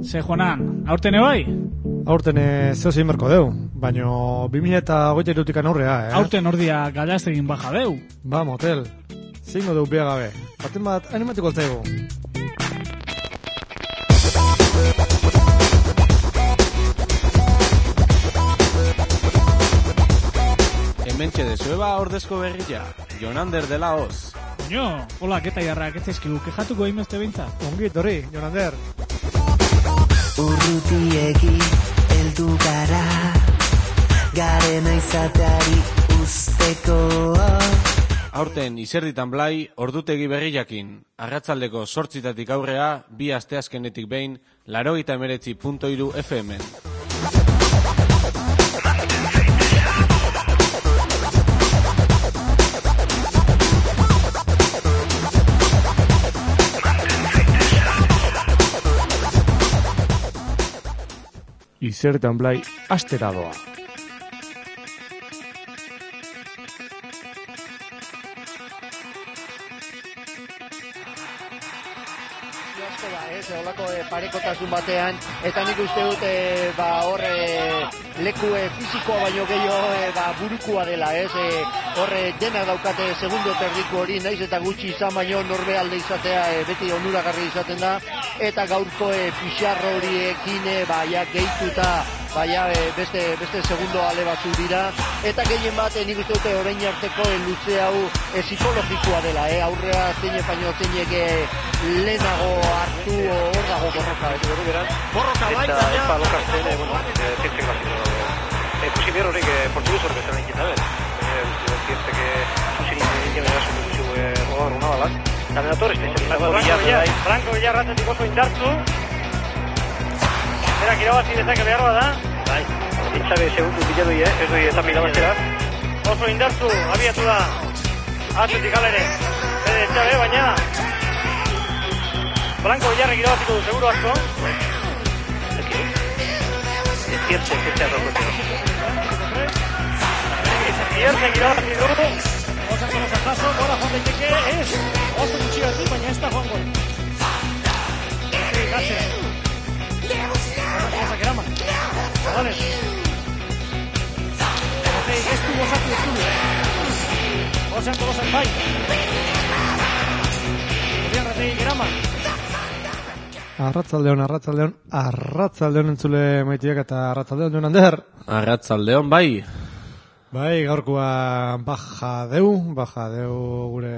Ze Juanan, aurten bai? Aurten zeozein berko deu, baina 2023 aurrea, Aurten ordia galaztegin baja deu. Ba, motel, zingo deu bea gabe, baten bat animatiko altzaigu. Hementxe dezueba ordezko berria, Jonander dela hoz. Coño, hola, keta jarrak, ez ezkigu, kejatuko imeste behintzat. Ongi, torri, Jonander. Urrutiegi heldu gara, garena izateari usteko. Aurten izerditan blai, ordutegi berriakin. Arratsaldeko 8 aurrea, 2 asteazkenetik behin, 89.3 FM. Izertan blai, astera doa. Olako parekotasun batean, eta nik uste dut leku fizikoa baino gehiago burukua dela, horre dena daukate segundo terdiko hori, naiz eta gutxi izan baino norbe alde izatea beti onuragarri izaten da, eta gaurko pixarro horiekin gehituta beste segundo ale batzu dira, eta gehien bat nik uste dute orain arteko luze hau psikologikoa dela, aurrea zeine baino zeinek lehenago hartu hor dago borroka. Borroka bai, eta epa lokazten, zientzek bazio. Ikusi behar horrek portuguz horrek esan egin da, zientzek zuzin egin erasun dutxu rogar una balak. Taminator, Franco Villar ratetik oso indartzu. Berak irabazi dezake behar da. Bai, zintzabe segundu biladoi, ez doi eta mirabazera. Oso indartzu, abiatu da. Atletik alere. Bede etxabe, baina Franco Villarrek irabaziko du, seguro asko. Ziertzek arroko. Ziertzek irabazi du. Osako jaso, gora joan daiteke, ez. Oso gutxi bat baina ez da joan gol. Gatzera. Osako eraman. Vale. Ez du osatu ez du. Osako gozak bai. Villarrek eraman. Arratzaldeon entzule maitiak eta arratzaldeon Jonander. Arratzaldeon bai. Bai, gaurkoa baja deu gure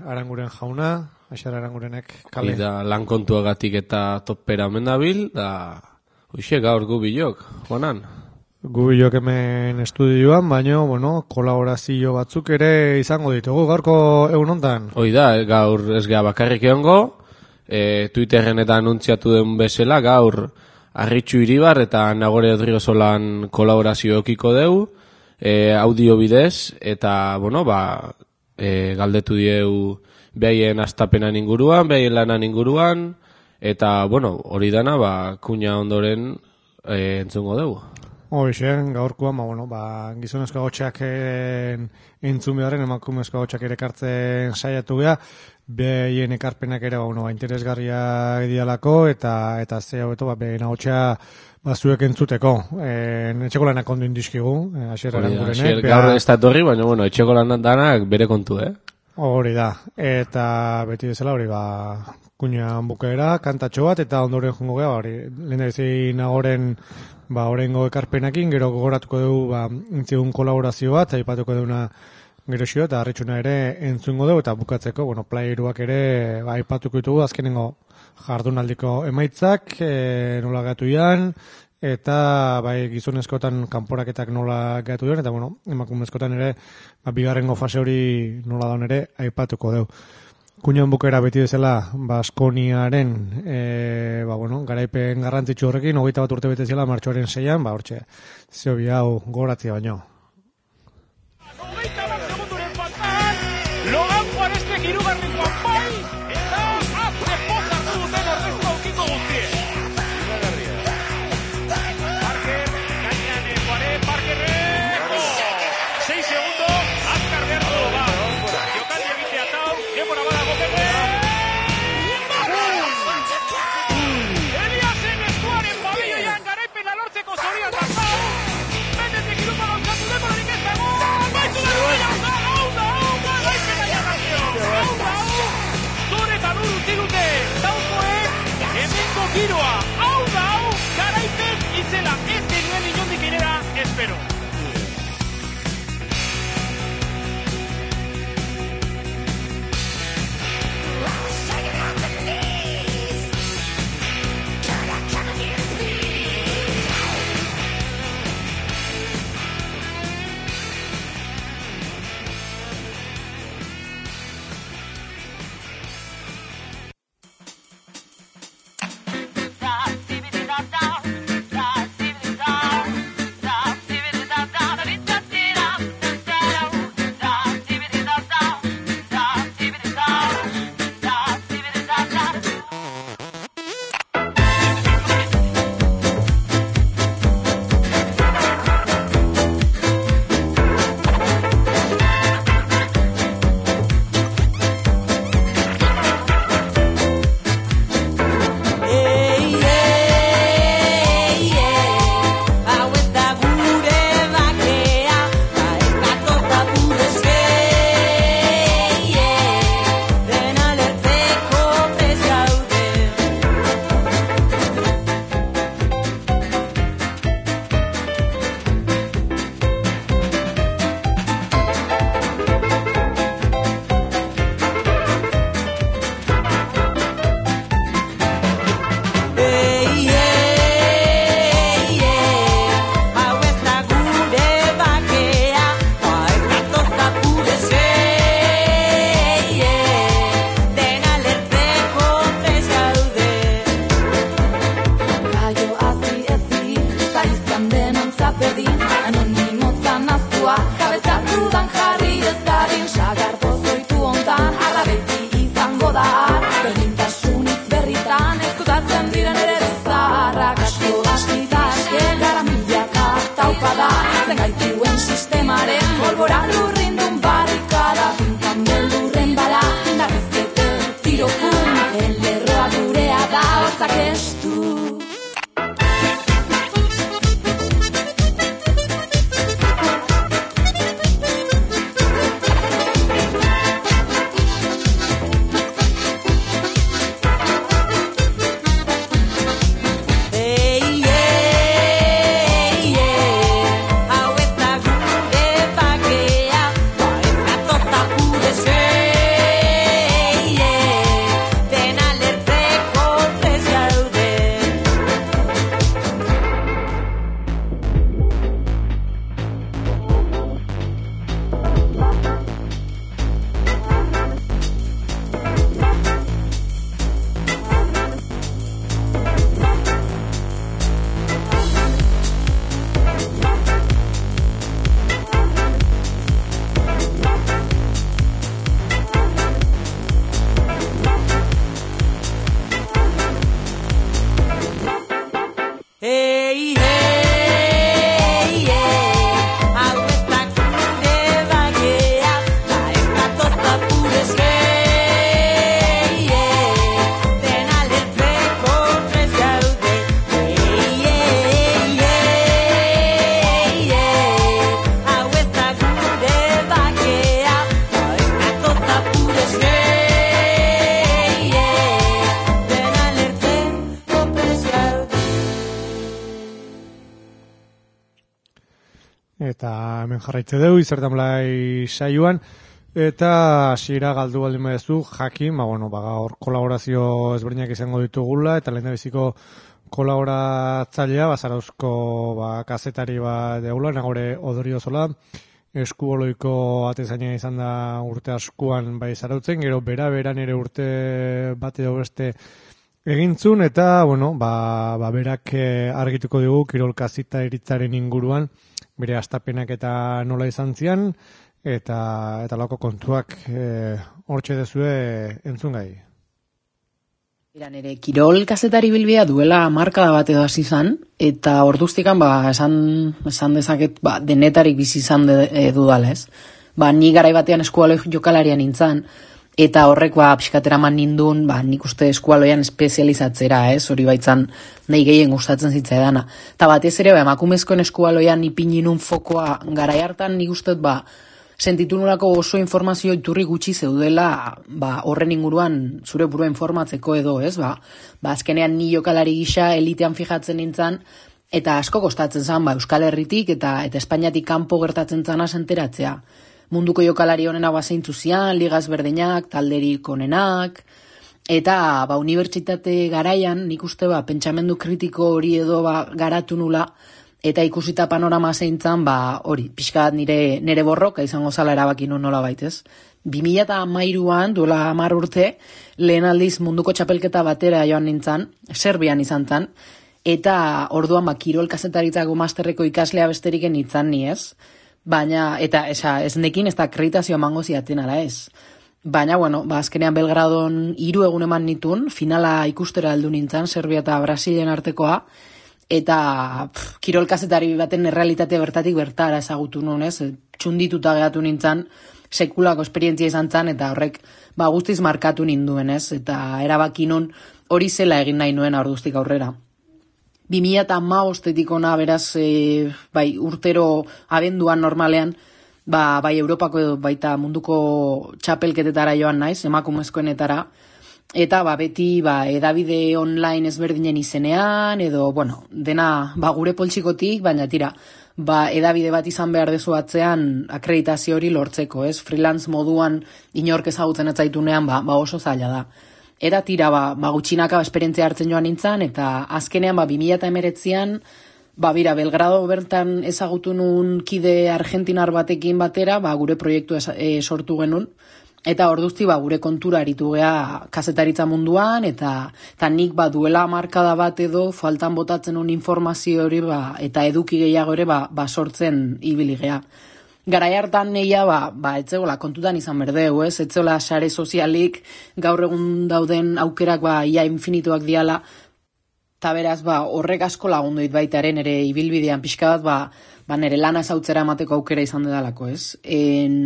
Aranguren jauna, Aixar Arangurenek kale. Da lan kontuagatik eta topera mendabil, da hoxe gaur gubilok, Juanan. Gubilok hemen estudioan, baina, kolaborazio batzuk ere izango ditugu gaurko egun hontan. Hoi da, gaur ez gea bakarrik egongo, Twitterren eta anuntziatu den bezala, gaur Arritxu Iribar eta Nagore Odriozolan kolaborazio okiko deu, audio bidez, eta, galdetu dieu behaien astapenan inguruan, behaien lanan inguruan, eta, hori dana, kuña ondoren entzungo deu. Hoxe, gaurkoan, gizonezko agotxak entzun beharren, emakumezko agotxak ere kartzen saiatu geha, behien ekarpenak ere interesgarria idealako, eta ze haueto, behien agotxa zuek entzuteko. Etxeko lanak ondo indizkigu, Aixer Arangurenek. Gaur ez da torri, baina, etxeko lanak danak bere kontu, Hori da, eta beti bezala hori, kuñan bukaera, kantatxo bat, eta ondoren jongo geha, lehen da bezin Nagoren orengo ekarpenakin, gero gogoratuko dugu intzigun kolaborazio bat, aipatuko duguna gero xio, eta harritxuna ere entzungo dugu, eta bukatzeko, playeruak ere aipatuko ditugu, azkenengo jardunaldiko emaitzak, nola gatu ian, eta gizonezkotan kanporaketak nola gatu duen, eta emakumezkotan ere bigarrengo fase hori nola daun ere aipatuko dugu. Kuñan bukera beti bezala Baskoniaren garaipen garrantzitsu horrekin, 21 urte bete zela martxoaren 6an, hortxe, zehobi hau goratzia baino. Logan Juanestek hirugarren kanpai, eta azte pozak duten horrezko aukiko guztie. Parker, gainean Parkerrek, 6 segundo, azkar behar du, jokaldi egitea tau, demora badago bebe. Eliasen esku giroa, hau da hau, garaipen itzela, ez genuen inondik inera, espero. Eta hemen jarraitze dugu, izertan blai saioan, eta hasiera galdu baldin badezu, jakin, gaur kolaborazio ezberdinak izango ditugula, eta lehen da biziko kolaboratzailea, Zarauzko kazetari deula, Nagore Odoriozola, eskuoloiko atezaina izan da urte askuan bai Zarautzen, gero beran ere urte bat edo beste egintzun, eta, berak argituko dugu kirol kazita eritzaren inguruan, bere astapenak eta nola izan zian, eta lako kontuak hortxe dezue entzungai. Nere kirol kazetari bilbia duela markada bat edo hasi izan, eta orduztikan esan dezaket denetarik bizi izan dudala, ez? Ni garai batean eskualo jokalarian nintzen, eta horrek pixkatera man nindun, nik uste eskualoian espezializatzera, ez? Hori baitzan nahi gehien gustatzen zitzaidana. Eta batez ere, emakumezkoen eskualoian ipin ninun fokoa garai hartan nik uste sentitu nolako oso informazio iturri gutxi zeudela horren inguruan zure burua informatzeko edo, ez? Azkenean ni jokalari gisa elitean fijatzen nintzen, eta asko kostatzen zen Euskal Herritik eta Espainiatik kanpo gertatzen zana senteratzea. Munduko jokalari honena zeintzu zian, ligaz berdinak, talderik onenak, eta unibertsitate garaian nik uste pentsamendu kritiko hori edo garatu nula, eta ikusita panorama zeintzan, hori, pixkat nire borroka izango zala erabaki nun nola baitez. 2013an, duela 10 urte, lehen aldiz munduko txapelketa batera joan nintzen, Serbian izan zen, eta orduan kirol kazetaritzako masterreko ikaslea besterik nintzen ni ez, baina, eta ez nekin ez da akreditazioa emango ziaten ala ez. Baina, azkenean Belgradon 3 egun eman nitun, finala ikustera heldu nintzen, Serbia eta Brasilen artekoa, eta kirol kazetari baten errealitatea bertatik bertara ezagutu nuen, ez? Txundituta geratu nintzen, sekulako esperientzia izan zen, eta horrek guztiz markatu ninduen, ez? Eta erabaki nun hori zela egin nahi nuen orduztik aurrera. 2015etik ona, beraz, urtero abenduan normalean, bai Europako edo baita munduko txapelketetara joan naiz, emakumezkoenetara, eta beti edabide online ezberdinen izenean, edo, dena gure poltsikotik, baina tira, edabide bat izan behar dezu atzean akreditazio hori lortzeko, ez? Freelance moduan inork ezagutzen ez zaitunean, oso zaila da. Eta tira, gutxinaka esperientzia hartzen joan nintzen, eta azkenean 2019an, bira, Belgrado bertan ezagutu nun kide argentinar batekin batera, gure proiektu sortu genuen, eta orduzti gure kontura aritu gea kazetaritza munduan, eta nik duela markada bat edo faltan botatzen un informazio hori eta eduki gehiago ere sortzen ibili gea. Garai hartan neia etzegola kontutan izan berdeu, ez? Etzegola sare sozialik gaur egun dauden aukerak ia infinituak diala, eta beraz horrek asko lagunduit baitaren ere ibilbidean pixka bat nire lana ezautzera emateko aukera izan dedalako, ez?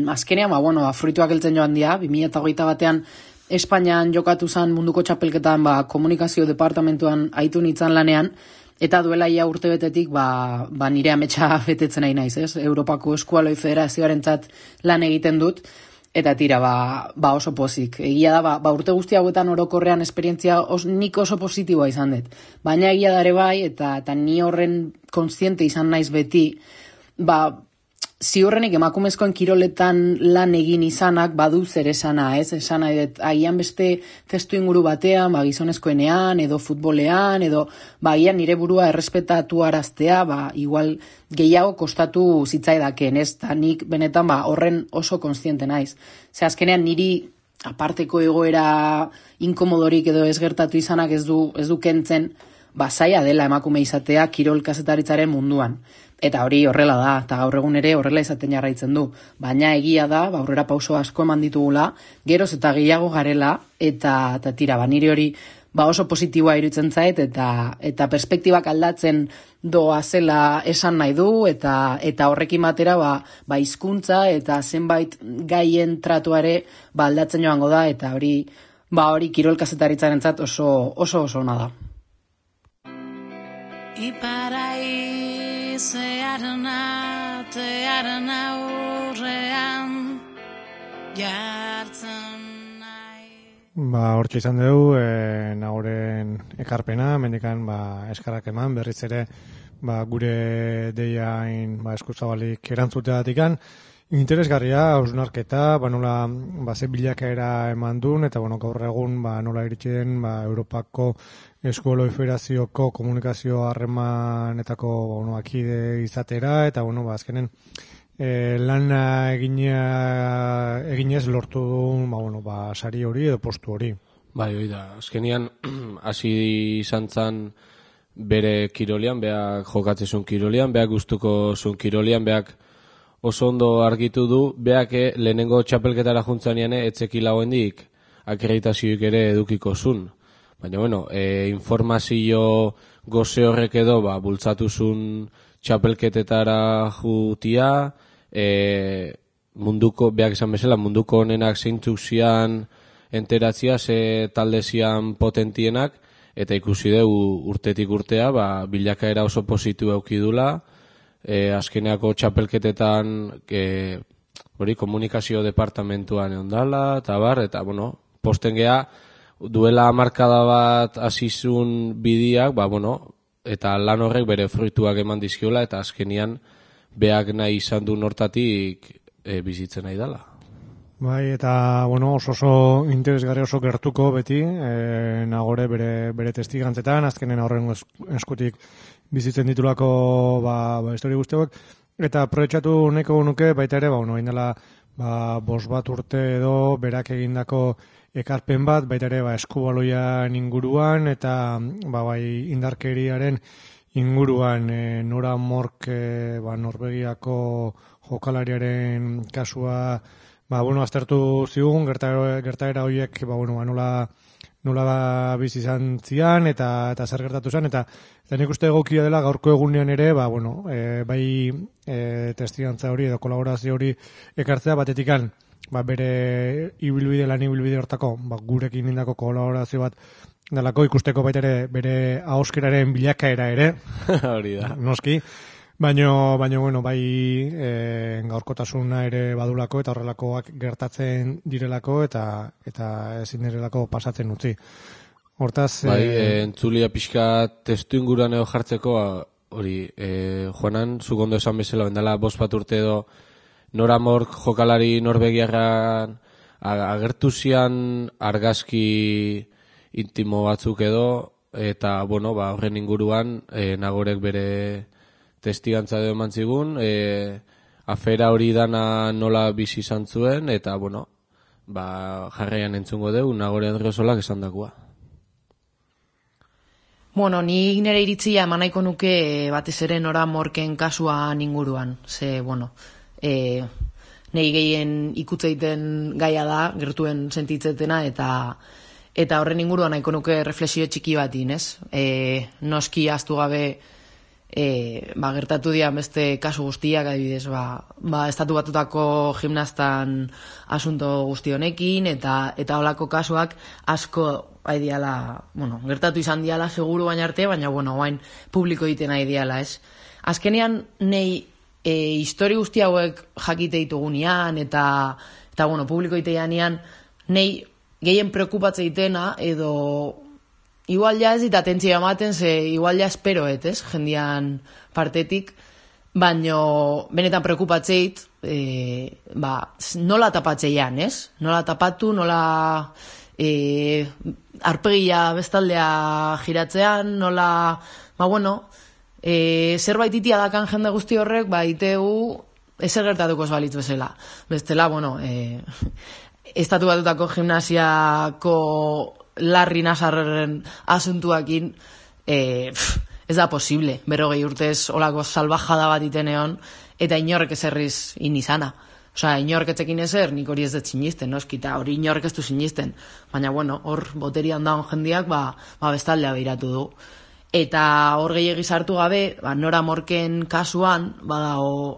Azkenean, fruituak heltzen joan dira, 2021 batean Espainian jokatu zen munduko txapelketan komunikazio departamentuan aitu nintzen lanean, eta duela ia urtebetetik nire ametsa betetzen nahi naiz, ez? Europako Eskualoi Federazioarentzat lan egiten dut, eta tira, oso pozik. Egia da, urte guzti hauetan orokorrean esperientzia nik oso positiboa izan dut. Baina egia dare bai, eta ni horren kontziente izan naiz beti, ziurrenik emakumezkoen kiroletan lan egin izanak badu zer esana, ez? Esana, agian beste testu inguru batean, gizonezkoenean, edo futbolean, edo agian nire burua errespetatu araztea, igual gehiago kostatu zitzaidaken, ez? Ta nik benetan horren oso kontziente naiz. Ze azkenean niri aparteko egoera inkomodorik edo ez gertatu izanak ez du kentzen, zaila dela emakume izatea kirol kazetaritzaren munduan. Eta hori horrela da, eta gaur egun ere horrela izaten jarraitzen du. Baina egia da, aurrera pauso asko eman ditugula, geroz eta gehiago garela, eta tira, nire hori oso positiboa iruditzen zait, eta perspektibak aldatzen doa zela esan nahi du, eta horrekin batera hizkuntza eta zenbait gaien tratuare aldatzen joango da, eta hori kirol kazetaritzarentzat oso ona da. Zearen aurrean jartzen nahi. Hortxe izan dugu, nagoren ekarpena, mendikan eskarrak eman, berriz ere gure deiain eskuzabalik erantzuteatikan. Interesgarria, hausnarketa, nola ze bilakaera eman duen, eta gaur egun nola iritsi den Europako Eskualoi Federazioko komunikazio harremanetako akide izatera, eta azkenen lana eginez lortu duen sari hori edo postu hori. Bai, hori da, azkenian hasi izan zen bere kirolian, beak jokatzezun kirolian, beak gustuko zun kirolian, beak oso ondo argitu du, beak lehenengo txapelketara juntzanean etzekila hoendik akreditazioik ere edukiko zun. Baina, informazio goze horrek edo, bultzatu zun txapelketetara jutia, beak esan bezala, munduko honenak zeintzuk zian enteratzia, ze talde zian potentienak, eta ikusi dugu urtetik urtea, bilakaera oso positu eukidula, azkeneako txapelketetan hori komunikazio departamentuan eondala, eta bar, eta bueno, posten gea, duela markada bat hasizun bidiak, eta lan horrek bere fruituak eman dizkiola, eta azkenian beak nahi izan du nortatik bizitzen nahi dela. Bai, eta oso interesgarri, oso gertuko beti, Nagore bere testigantzetan, azkenen horren eskutik bizitzen ditulako histori guztiak, eta aprobetxatu nahiko nuke baita ere, indela 5 bat urte edo berak egindako ekarpen bat, baita ere eskubaloian inguruan, eta indarkeriaren inguruan Nora Mork Norvegiako jokalariaren kasua aztertu zigun, gertaera horiek nola bizi izan zian eta zer gertatu zen, eta nik uste egokia dela gaurko egunean ere, testigantza hori edo kolaborazio hori ekartzea batetikan, bere lan ibilbide hortako, gurekin indako kolaborazio bat delako, ikusteko baita ere bere ahoskeraren bilakaera ere, hori da, noski, baina gaurkotasuna ere badulako eta horrelakoak gertatzen direlako eta ezin direlako pasatzen utzi. Hortaz... entzulia pixka testu inguruan edo jartzeko, hori, Juanan, zuk ondo esan bezala, bendala 5 bat urte edo Nora Mork jokalari norvegiarran agertu zian argazki intimo batzuk edo, eta, horren inguruan, Nagorek bere testigantza edo eman zigun, afera hori dana nola bizi izan zuen, eta, jarraian entzungo deu, Nagore Andriosolak esan dakua. Ni nire iritzia eman nahiko nuke batez ere Nora Morken kasuan inguruan, nahi gehien ikutzeiten gaia da, gertuen sentitzetena, eta horren inguruan nahiko nuke reflexio txiki batin, ez? Noski ahaztu gabe gertatu dian beste kasu guztiak, adibidez, estatu batutako gimnastan asunto guzti honekin, eta holako kasuak asko gertatu izan diala seguru baina arte, baina guain publiko egiten nahi diala, ez? Azkenean, nahi histori guzti hauek jakite ditugunean, eta publiko egiteanean, nahi gehien preokupatzen ditena, edo igual ja ez dit atentzia ematen, igual ja esperoet, ez, jendian partetik, baino benetan preokupatzeit, nola tapatzeian, ez? Nola tapatu, nola arpegia bestaldea giratzean, nola, zerbait itia dakan jende guzti horrek, itegu ezer gertatuko ez balitz bezala. Bestela, estatu batutako gimnasiako Larri Nasarren asuntuakin ez da posible, 40 urtez olako salbajada bat iten egon, eta inorrek ezerriz inizana. Inorrek etzekin ezer, nik hori ez dut sinisten, noski, eta hori inorrek ez du sinisten. Baina, hor boterian daun jendiak, bestaldea behiratu du. Eta hor gehiagi sartu gabe, Nora Morken kasuan,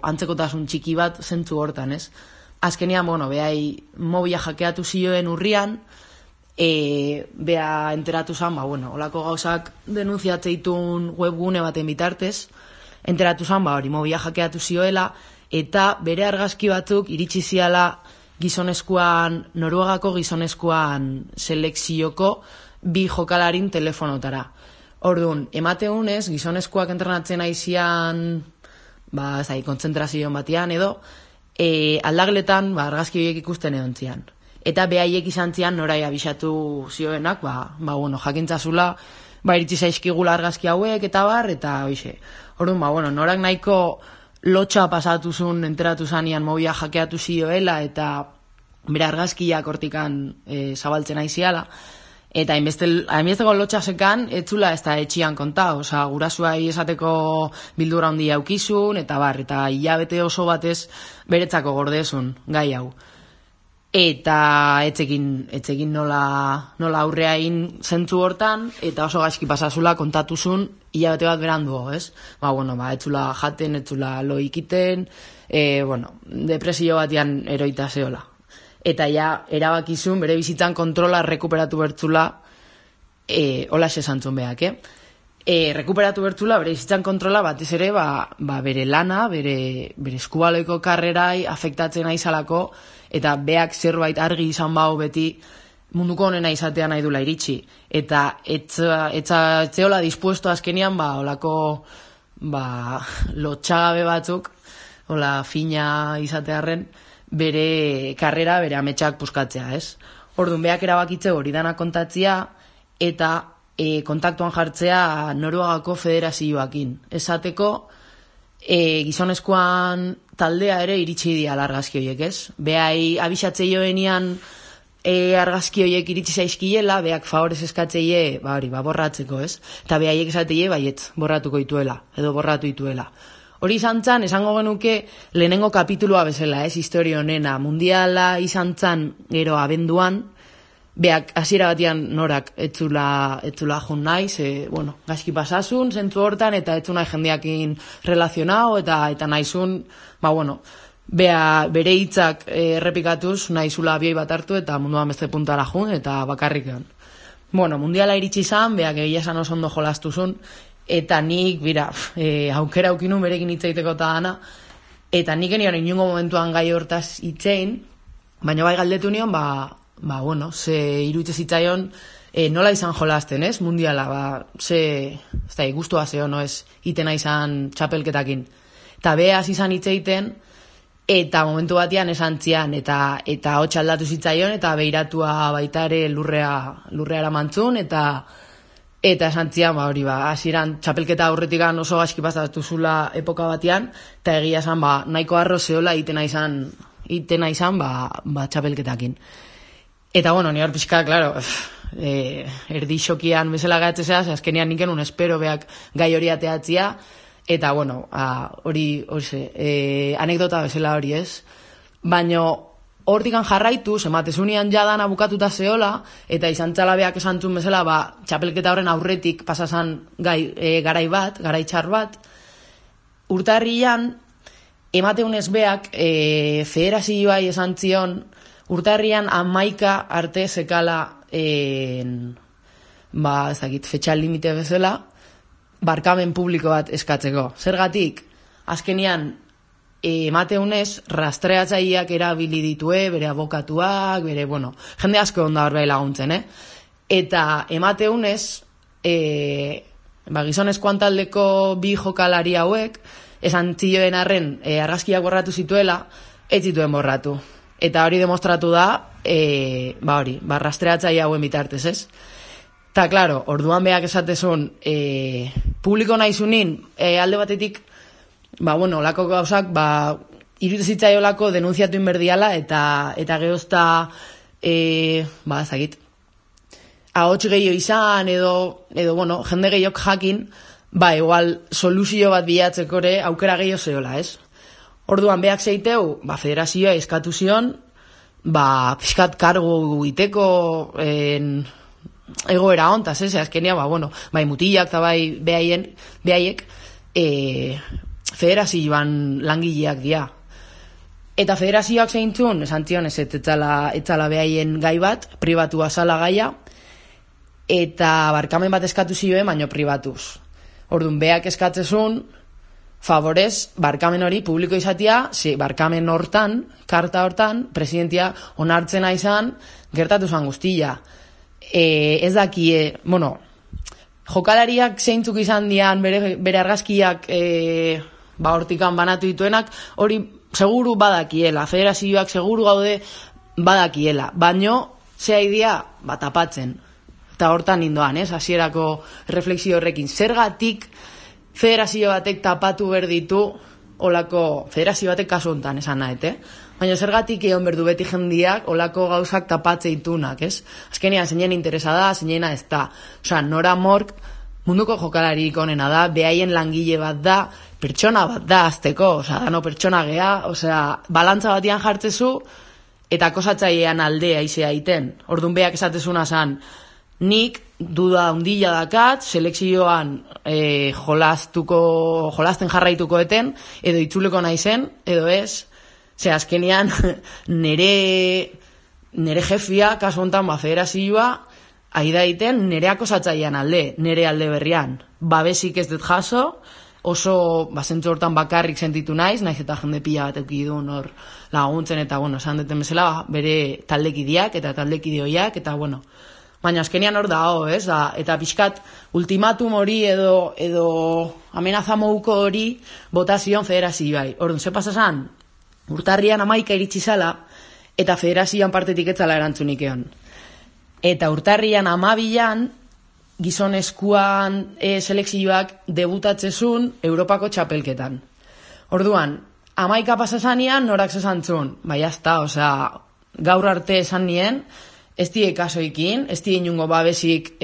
antzekotasun txiki bat zentzu hortan, ez? Azkenean, behai mobila jakeatu zioen urrian, bea enteratu zan, olako gauzak denunziatzeitun webgune baten bitartez, enteratu zan, hori mobila jakeatu zioela, eta bere argazki batzuk iritsi ziala Noruegako gizonezkoan selekzioko 2 jokalarin telefonotara. Orduan, emateunez, gizonezkoak entrenatzen aizian, kontzentrazioan batian edo, aldagletan argazki horiek ikusten egon zian. Eta behaiek izan zian norai abisatu zioenak, jakintzazula, iritsi zaizkigula argazki hauek eta eta hoxe. Orduan, norak nahiko lotxa pasatu zuen, enteratu zanian mobila jakeatu zioela, eta bere argazkiak hortikan zabaltzen aiziala, eta hainbesteko lotxasekan etzula ez da etxian konta, gurasuai esateko bildura handia aukizun, eta hilabete oso batez beretzako gordezun gai hau. Eta etzekin nola aurreain zentzu hortan, eta oso gaizki pasazula kontatuzun hilabete bat beranduo, ez? Etzula jaten, etzula lo ikiten, depresio batian eroita zeola. Eta erabakizun bere bizitzan kontrola rekuperatu bertzula, hola esantzun behak, rekuperatu bertzula, bere izitzan kontrola batez ere, bere lana, bere eskubaloiko karrerai afektatzen aizalako, eta beak zerbait argi izan bau beti munduko honena izatea nahi dula iritsi. Eta etzeola dispuesto azkenian, olako lotxagabe batzuk, hola fina izatearren, bere karrera, bere ametsak puskatzea, ez? Orduan, beak erabakitze hori dana kontatzea, eta kontaktuan jartzea Noruegako federazioakin. Esateko, gizonezkoan taldea ere iritsi dira argazki horiek, ez? Behai abixatze joenian argazki horiek iritsi zaizkiela, beak favorez eskatzeie, borratzeko, ez? Eta behaiek esateie, baietz, borratuko dituela, edo borratu dituela. Hori izan zan, esango genuke lehenengo kapitulua bezala, ez? Historia honena, mundiala izan zan, gero abenduan, beak hasiera batian norak etzula jun naiz, gaizki pasasun, zentzu hortan, eta etzu nahi jendeakin relazionau, eta naizun, bere hitzak errepikatuz, nahizula abioi bat hartu, eta munduan beste puntara jun, eta bakarrikan. Mundiala iritsi zan, beak egia esan oso ondo jolastuzun, eta nik, aukera aukinun berekin hitzaiteko eta dana, eta nik enion inungo momentuan gai hortaz hitzein, baina bai galdetu nion, ze iruditze zitzaion nola izan jolasten, ez? Mundiala, gustua zeo, ez? Itena izan txapelketakin. Eta behaz izan hitzeiten, eta momentu batean esan zian, eta hotx aldatu zitzaion, eta behiratua baitare lurreara mantzun, eta esan zian, hasieran txapelketa aurretikan oso gaizki pasatu zula epoka batean, eta egia esan, nahiko arro zeola itena izan, txapelketakin. Eta, ni hor pixka, klaro, erdi xokian bezala gatzea, azkenean niken un espero beak gai hori ateatzia, eta, hori, anekdota bezala hori, ez? Baina, hortikan jarraitu, ematezunian jadan abukatuta zeola, eta izan txala beak esantzun bezala, txapelketa horren aurretik pasazan garai txar bat, urtarrian, emateunez beak, federazioai esan zion, urtarrian 11 arte zekala fetxa limite bezala barkamen publiko bat eskatzeko. Zergatik, azkenian emateunez rastreatzaileak erabili ditue, bere abokatuak, bere, jende asko onda hor laguntzen, Eta emateunez gizonezkoan taldeko bi jokalari hauek esan zioen arren argazkiak borratu zituela, ez zituen borratu. Eta hori demostratu da, rastreatzaile hauen bitartez, ez? Ta, klaro, orduan beak esatezun, publiko nahizunin, alde batetik, olako gauzak, iruditzitzai olako denunziatu inberdiala, eta geozta, ezagit, ahots gehiago izan, edo, jende gehiok jakin, igual, soluzio bat bilatzekore aukera gehiago zeola, ez? Orduan beak zeiteu, federazioa eskatu zion, pixkat kargu iteko egoera hontaz, ez? Azkenia, mutilak eta behaiek federazioan langileak dira. Eta federazioak zeintzun, esan zion, ez etzala behaien gai bat, pribatua zala gaia, eta barkamen bat eskatu zioen, baino pribatuz. Orduan, beak eskatzezun, favorez, barkamen hori publiko izatea, barkamen hortan, karta hortan, presidentia onartzena izan, gertatu zan guztia. Ez dakie, jokalariak zeintzuk izan dian, bere argazkiak hortikan banatu dituenak, hori seguru badakiela, federazioak seguru gaude badakiela, baino, zea idea, tapatzen. Eta hortan indoan, hasierako refleksio horrekin, zergatik federazio batek tapatu berditu, olako, federazio batek kasu hontan esan nahet, Baina zergatik egon berdu beti jendiak, olako gauzak tapatze itunak, ez? Azkenean, zeinen interesa da, zeinena ez da. Nora Mork, munduko jokalarik onena da, behaien langile bat da, pertsona bat da, azteko, dano pertsona gea, balantza batian jartzezu, eta kosatzailean aldea izea iten. Orduan beak esatezuna zan, nik duda hundila dakat, selekzioan jolasten jarraituko eten, edo itzuleko naizen, edo ez, azkenean nere jefia, kasu honetan federazioa, aida egiten nereako zatzaian alde, nere alde berrian. Babesik ez dut jaso, oso zentzu hortan bakarrik sentitu naiz eta jende pila bat eukidun hor laguntzen, eta, esan duten bezala, bere taldekideak eta taldekidioiak, eta, baina azkenian hor dago, ez? Eta pixkat ultimatum hori edo amenaza mouko hori botazion federazioai. Orduan, ze pasasan, urtarrian 11 iritsi zala, eta federazioan partetik etzala erantzunik egon. Eta urtarrian 12an, gizonezkoan selekzioak debutatzezun Europako txapelketan. Orduan, 11 pasasanean norak zesantzun, jazta, gaur arte esan nien, ez die kasoikin, ez die inungo babesik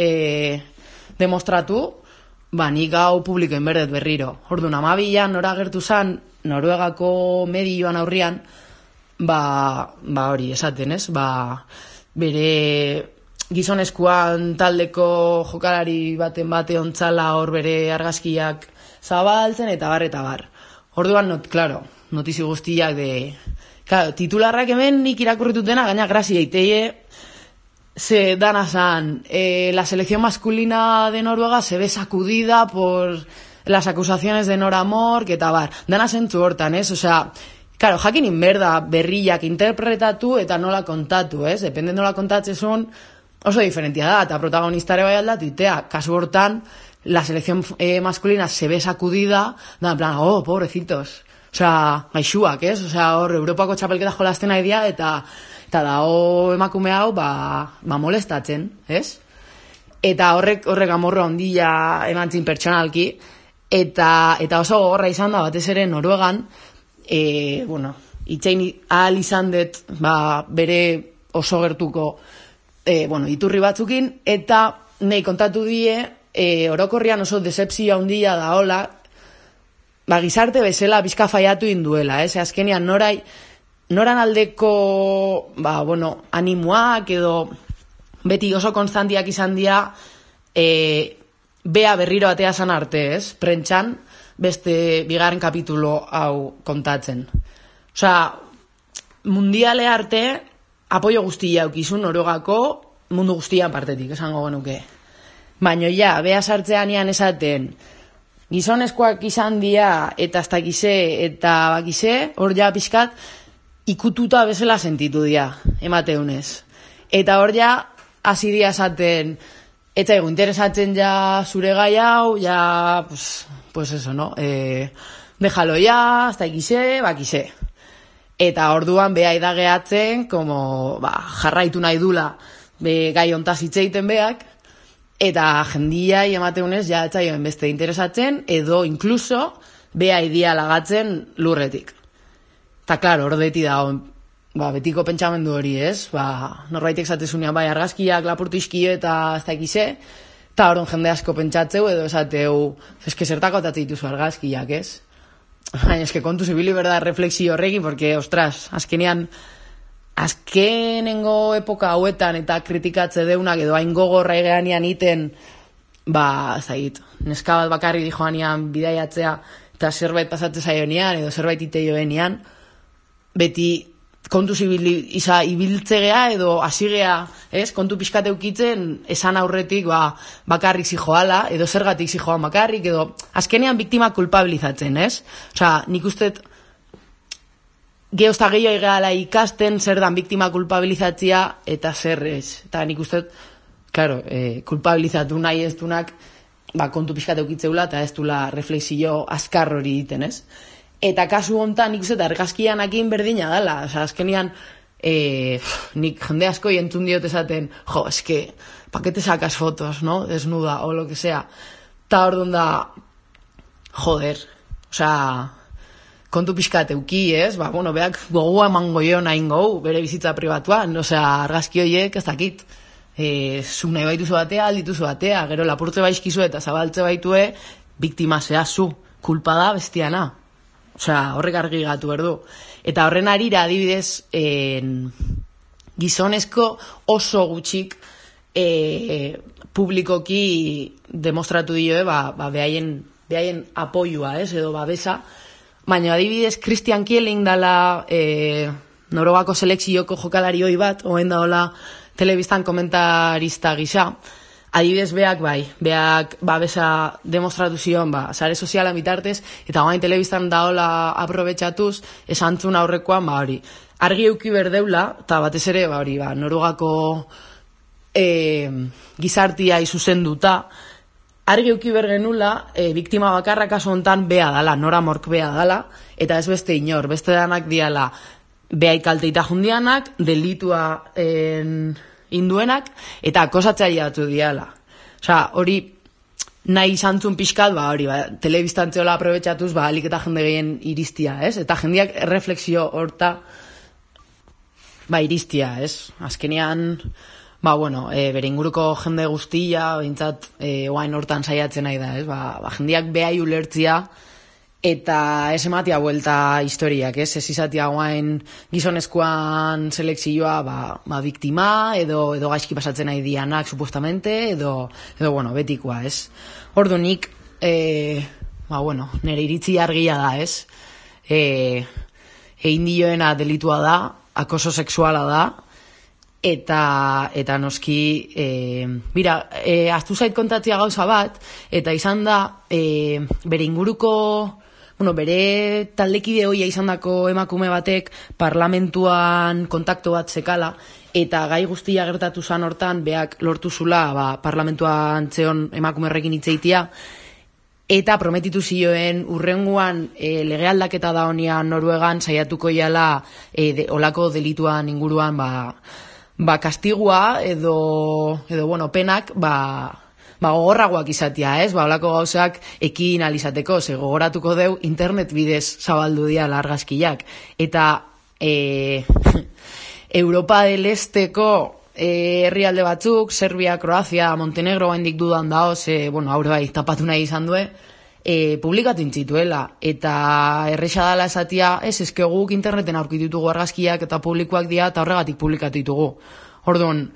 demostratu, nik gau publikoen berdet berriro. Orduan, 12an nora gertu zan, Noruegako medioan aurrian, hori esaten, ez? Bere gizonezkoan taldeko jokalari baten bate ontzala hor bere argazkiak zabaltzen, eta bar. Orduan, notizi guztiak titularrak hemen nik irakurritutena, gaina grazia iteie, se dana zan, la selección masculina de Noruega se ve sacudida por las acusaciones de Nora Mork, eta bar. Dana zentzu hortan, ez? Jakin inberda berriak interpretatu eta nola kontatu, ez? Depende nola kontatzezun, oso diferentia da, eta protagonistare bai aldatitea. Kasu hortan, la selección masculina se ve sacudida, da, en plan, pobrecitos. Gaixuak, ez? Hor, Europako txapelketa jolasten nahi dia, eta da, emakume hau, molestatzen, ez? Eta horrek amorro handia emantzin pertsonalki, eta oso gogorra izan da, batez ere Noruegan, itxain ahal izan dut, bere oso gertuko, iturri batzukin, eta nahi kontatu die, orokorrian oso decepzio handia da hola, gizarte bezala bizka faiatu induela, ez? Azkenean noran aldeko, animoak edo beti oso konstantiak izan dira, bea berriro atea zan arte, ez? Prentxan, beste bigarren kapitulo hau kontatzen. Mundiale arte, apoio guztia aukizun Noruegako mundu guztian partetik, esango genuke. Baina bea sartzean ian esaten, gizonezkoak izan dira, eta ez dakize, eta bakize, hor pixkat, ikututa bezala sentitu dira, emateunez. Eta hor hasi dira esaten, eta interesatzen zure gai hau, pues eso, no? Déjalo ez dakize, bakize. Eta orduan beha idageatzen, jarraitu nahi dula gai ontaz hitzeiten beak, eta jendia emateunez etzaioen beste interesatzen, edo inkluso beha idia lagatzen lurretik. Eta, klaro, hor beti da, betiko pentsamendu hori, ez? Norbaitek zatezunean argazkiak lapurtu izkio eta ez dakize, eta horon jende asko pentsatzeu, edo esateu, eske zertako atatzen dituzu argazkiak, ez? Baina eske kontu zibili berda refleksio horrekin, porque, ostras, azkenengo epoka hauetan eta kritikatze deunak edo hain gogorra egeanian iten, zait, neska bat bakarri dijoanian bidaiatzea eta zerbait pasatze zaionean edo zerbait iteioenean, beti kontu ibiltzegea edo hasigea, ez? Kontu pixkate ukitzen esan aurretik bakarrik zijoala, edo zergatik zijoan bakarrik, edo azkenean biktima kulpabilizatzen, ez? Nik usteet geozta gehiago egeala ikasten zer dan biktima kulpabilizatzia eta zer ez. Eta nik usteet, claro, kulpabilizatu nahi ez dunak, kontu pixkate ukitzeula eta ez dula refleksio azkar hori egiten, ez? Eta kasu hontan nik uste argazkianakin berdina dala. Azkenean, nik jende asko entzun diot esaten, eske, pa que te sacas fotos, no? Desnuda, o lo que sea. Ta orduan da, joder, kontu pixkat euki, ez? Beak gogua emango jo nahin gau, bere bizitza pribatuan, argazki horiek ez dakit. Zu nahi baituzu batea, aldituzu batea, gero lapurtze baizkizu eta zabaltze baitue, biktima zehazu, kulpa da bestiana. Horrek argi gatu berdu. Eta horren arira adibidez gizonezko oso gutxik publikoki demostratu dioe behaien apoiua, edo babesa. Baina adibidez Christian Kieling dala Noruegako selekzioko jokalari hoi bat, oen da hola telebistan komentarista gisa, adibidez beak babesa demostratu zion, sare soziala bitartez, eta guain telebistan daola aprobetxatuz, esantzun aurrekoan, hori, argi euki berdeula, eta batez ere, Norugako gizartia izuzenduta, argi euki bergenula, biktima bakarra kasu hontan bea dala, Nora Mork bea dala, eta ez beste inor, beste danak diala, beha ikalteita jundianak, delitua induenak, eta akosatzaile batu diala. Osa, hori nahi izantzun pixkat, telebistantzeola aprobetxatuz, alik eta jende gehien iristia, ez? Eta jendeak refleksio horta, iristia, ez? Azkenean, bere inguruko jende guztia, bintzat, oain hortan saiatzen nahi da, ez? Jendeak behai ulertzia, eta ez ematia buelta historiak, ez? Ez izatia guain gizonezkoan selekzioa biktima, edo gaizki pasatzen nahi dianak, supuestamente, edo betikoa, ez? Ordu nik, nire iritzi argia da, ez? Egin dioena delitua da, akoso sexuala da, eta noski, aztu zait kontatzia gauza bat, eta izan da, bere inguruko, bere taldekide hoia izan dako emakume batek parlamentuan kontakto bat zekala, eta gai guztia gertatu zan hortan, beak lortu zula parlamentuan zeon emakumerrekin hitzeitia, eta prometitu zioen urrenguan lege aldaketa da honian Noruegan saiatuko iala olako delituan inguruan kastigua edo penak gogorragoak izatea, ez? Olako gauzak ekin alizateko, ze gogoratuko deu internet bidez zabaldu dira argazkiak. Eta Europa del Esteko herrialde batzuk, Serbia, Kroazia, Montenegro gaindik dudan dao, ze, haure tapatu nahi izan due, publikatu intzituela. Eta erresa dala esatia, eske guk interneten aurkitutugu argazkiak eta publikoak dira, eta horregatik publikatu ditugu. Orduan,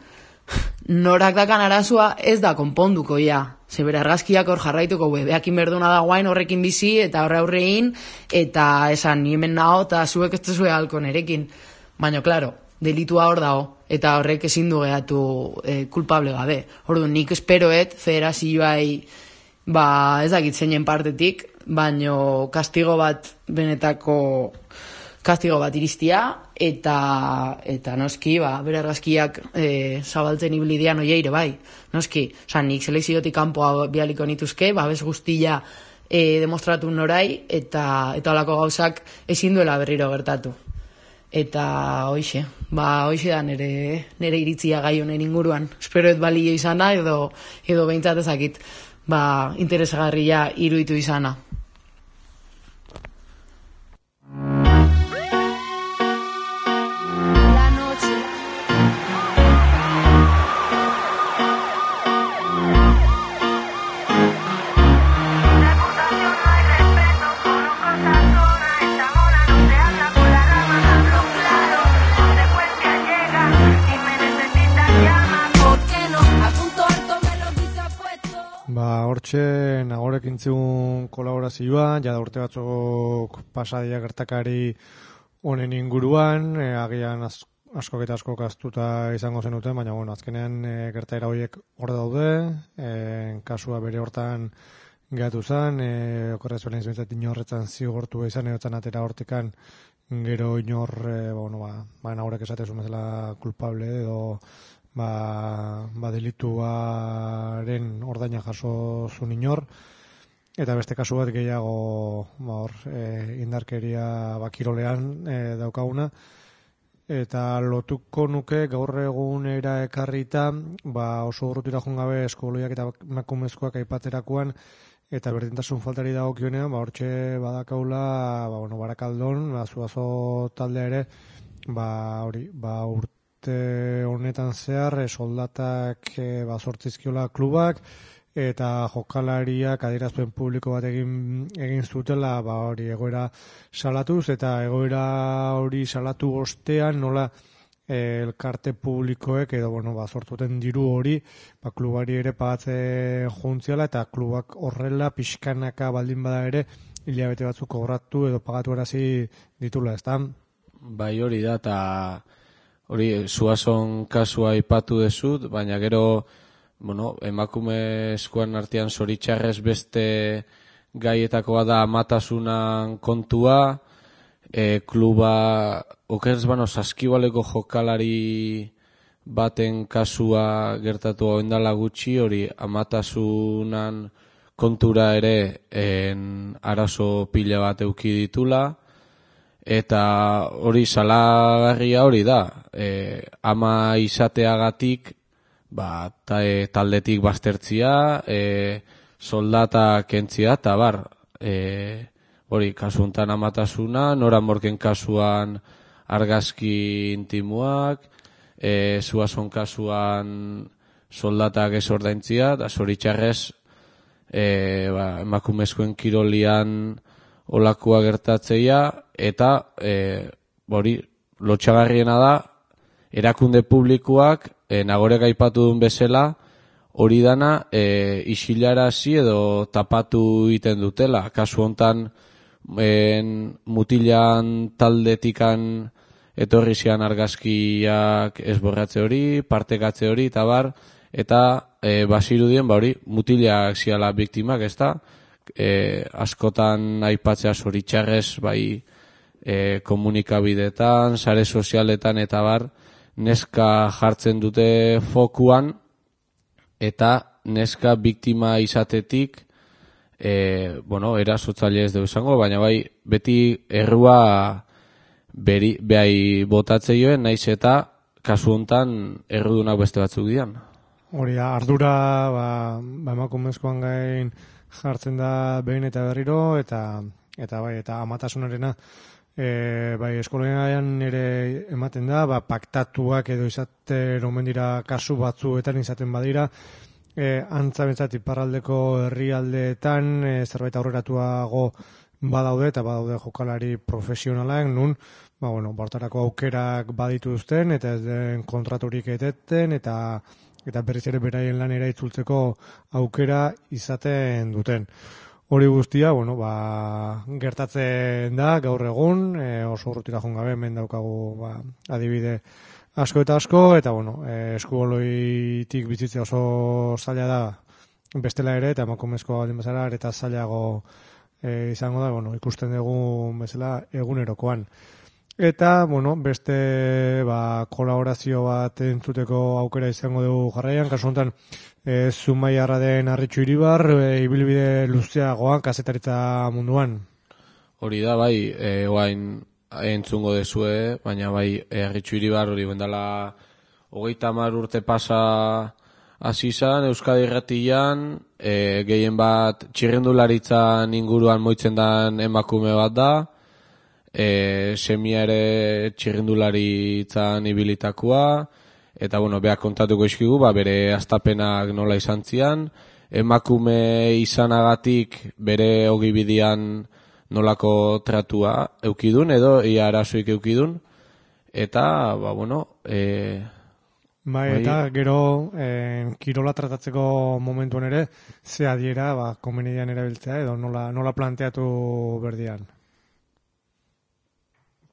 norak dakan arazua ez da konponduko ja. Ze bere argazkiak hor jarraituko, behakin berduna da guain horrekin bizi, eta aurrein, eta esan, ni hemen nao, eta zuek ez zuzue halko nerekin. Baina, klaro, delitua hor dago, eta horrek ezin du gehatu kulpable gabe. Orduan, nik esperoet, federazioai, ez dakit zeinen partetik, baino kastigo bat benetako kastigo bat iristia, eta noski, bere argazkiak zabaltzen ibilidean oieire bai. Noski, nik selekziotik kanpoa bialiko nituzke, bez guztia demostratu norai, eta olako gauzak ezin duela berriro gertatu. Eta hoixe da nire iritzia gai honen inguruan. Esperoet balio izana, edo behintzat ezakit, interesagarria iruditu izana. Hortxe, nagorekin zigun kolaborazioa, jada urte batzuk pasadia gertakari honen inguruan, agian askok eta askok astuta izango zenuten, baina azkenean gertaera horiek hor daude, kasua bere hortan gehatu zen, okorrez beren izbintzat inorretzan zigortu izan, edotzan atera hortikan gero inor, nagorek esatezun bezala kulpable edo delituaren ordaina jaso zuen inor, eta beste kasu bat gehiago indarkeria kirolean daukaguna, eta lotuko nuke gaur egunera ekarrita, oso urrutira joan gabe eskoloiak eta emakumezkoak aipatzerakoan, eta berdintasun faltari dagokionean, hortxe badakaula, Barakaldon, Zuazo taldea ere, urte honetan zehar soldatak sortzizkiola klubak eta jokalariak adierazpen publiko bat egin zutela egoera salatuz, eta egoera hori salatu ostean nola elkarte publikoek edo sortuten diru hori klubari ere pagatzen juntziala, eta klubak horrela pixkanaka baldin bada ere hilabete batzuk kobratu edo pagatu erazi ditula, ezta? Bai, hori da, eta hori Zuazon kasua aipatu dezut, baina gero, bueno, emakumezkoen artean zoritxarrez beste gaietakoa da amatasunan kontua, kluba, okerz bano, Saskibaleko jokalari baten kasua gertatu oindala gutxi, hori amatasunan kontura ere arazo pila bat euki ditula, eta hori salagarria hori da, ama izateagatik taldetik baztertzia, soldata kentzia, eta hori kasuntan amatasuna, Nora Morken kasuan argazki intimuak, Zuazon kasuan soldatak ez ordaintzia, da zoritxarrez emakumezkoen kirolian olakoa gertatzeia, eta hori lotxagarriena da, erakunde publikoak nagorek aipatu duen bezala, hori dana isilarazi edo tapatu egiten dutela. Kasu hontan mutilan taldetikan etorri zian argazkiak esborratze hori, partekatze hori, eta bazirudien hori mutilak ziala biktimak, ez da? Askotan aipatzea zoritxarrez, komunikabidetan, sare sozialetan, eta neska jartzen dute fokuan, eta neska biktima izatetik, erasotzaile ez dugu izango, baina beti errua behai botatze joen, naiz eta kasu hontan errudunak beste batzuk dian. Hori da, ardura emakumezkoan gain jartzen da behin eta berriro, eta amatasunarena eskolanean ere ematen da, paktatuak edo izaten omen dira kasu batzuetan izaten badira, antza bentsat iparraldeko herrialdeetan zerbait aurreratuago badaude, eta badaude jokalari profesionalak, nun, bortarako aukerak badituzten, eta ez den kontraturik eteten, eta berriz ere beraien lanera itzultzeko aukera izaten duten. Hori guztia, gertatzen da gaur egun, oso urrutira joan gabe, hemen daukagu adibide asko eta asko, eta eskuboloitik bizitzea oso zaila da bestela ere, eta emakumezkoa baldin bezala, eta zailago izango da, ikusten dugu bezala egunerokoan. Eta, beste kolaborazio bat entzuteko aukera izango dugu jarraian, kasu honetan Zumaiarra den Arritxu Iribar, ibilbide luzeagoan kazetaritza munduan. Hori da, oain entzungo dezue, baina Arritxu Iribar hori bendala 30 urte pasa hasi izan, Euskadi Irratian, gehien bat txirrindularitzan inguruan moitzen den emakume bat da, semia ere txirrindularitzan ibilitakoa, eta beak kontatuko izkigu, bere astapenak nola izan zian, emakume izanagatik bere ogibidean nolako tratua eukidun, edo ia arazoik eukidun, eta, eta gero kirola tratatzeko momentuan ere, ze adiera komenidean erabiltzea, edo nola planteatu berdian.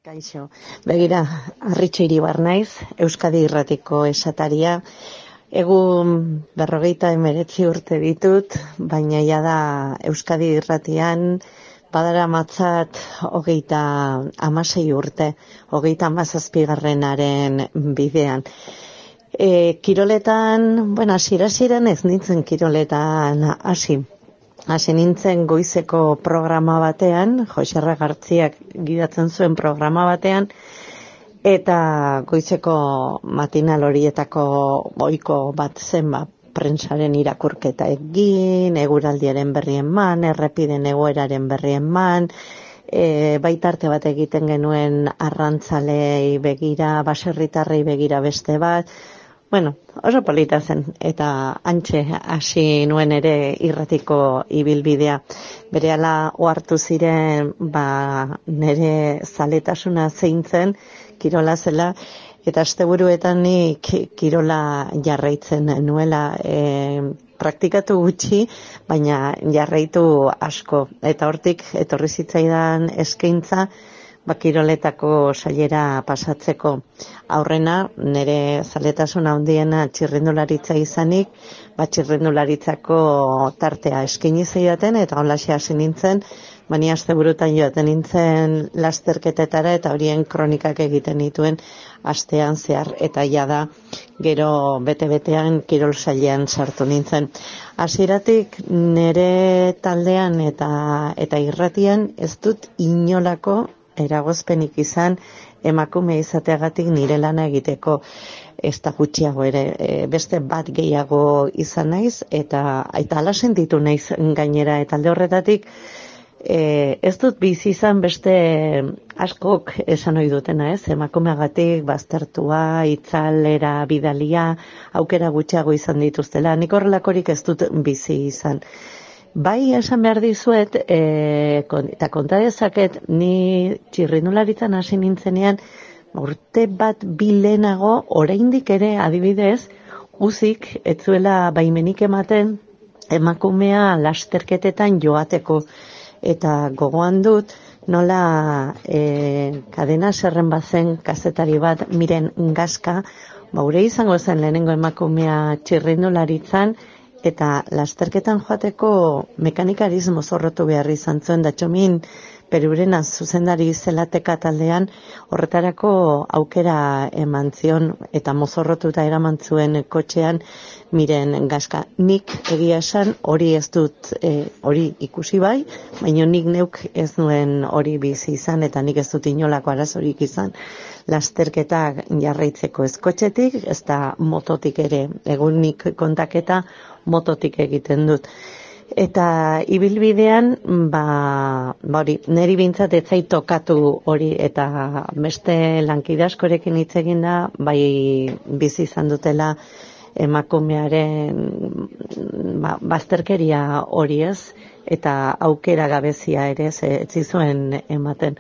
Kaixo, begira, Arritxu Iribar naiz, Euskadi Irratiko esataria. Egun 59 urte ditut, baina ja da Euskadi Irratian badara matzat 36 urte, 37. bidean. Kiroletan, hasiera-hasieran ez nintzen kiroletan hasi nintzen goizeko programa batean, Joserra Gartziak gidatzen zuen programa batean, eta goizeko matinal horietako ohiko bat zen prentsaren irakurketa egin, eguraldiaren berri eman, errepiden egoeraren berri eman, baitarte bat egiten genuen arrantzalei begira, baserritarrei begira beste bat, oso polita zen, eta antxe hasi nuen ere irratiko ibilbidea. Berehala ohartu ziren, nire zaletasuna zein zen, kirola zela, eta asteburuetan nik kirola jarraitzen nuela, praktikatu gutxi, baina jarraitu asko. Eta hortik etorri zitzaidan eskaintza, kiroletako sailera pasatzeko. Aurrena, nire zaletasun handiena txirrindularitza izanik, txirrindularitzako tartea eskaini zidaten, eta holaxe hasi nintzen, bani asteburutan joaten nintzen lasterketetara, eta horien kronikak egiten dituen astean zehar, eta jada gero bete-betean kirol sailean sartu nintzen. Hasieratik nire taldean eta irratian ez dut inolako eragozpenik izan emakume izateagatik nire lana egiteko, ez da gutxiago ere, beste bat gehiago izan naiz, eta hala sentitu naiz gainera, eta alde horretatik ez dut bizi izan beste askok esan ohi dutena, emakumeagatik baztertua, itzalera, bidalia, aukera gutxiago izan dituztela. Nik horrelakorik ez dut bizi izan. Bai, esan behar dizuet, eta konta dezaket, ni txirrindularitzan hasi nintzenean, urte bat bilenago, oraindik ere adibidez, uzik ez zuela baimenik ematen emakumea lasterketetan joateko. Eta gogoan dut, nola Kadena Serren bazen kazetari bat, Miren Gaska, ure izango zen lehenengo emakumea txirrindularitzan, eta lasterketan joateko mekanikarismo mozorrotu behar izan zuen, da txomin Perurena zuzendari zelateka taldean horretarako aukera eman zion, eta mozorrotuta eraman zuen kotxean Miren Gaska. Nik egia esan hori ez dut, hori ikusi bai, baina nik neuk ez nuen hori bizi izan, eta nik ez dut inolako arazorik izan lasterketak jarraitzeko ez kotxetik, ez da mototik ere, egun nik kontaketa mototik egiten dut. Eta ibilbidean, hori, niri bintzat ez zait tokatu hori, eta beste lankide askorekin hitz egin da, bai bizi izan dutela emakumearen bazterkeria hori ez, eta aukera gabezia ere ez zizuen ematen.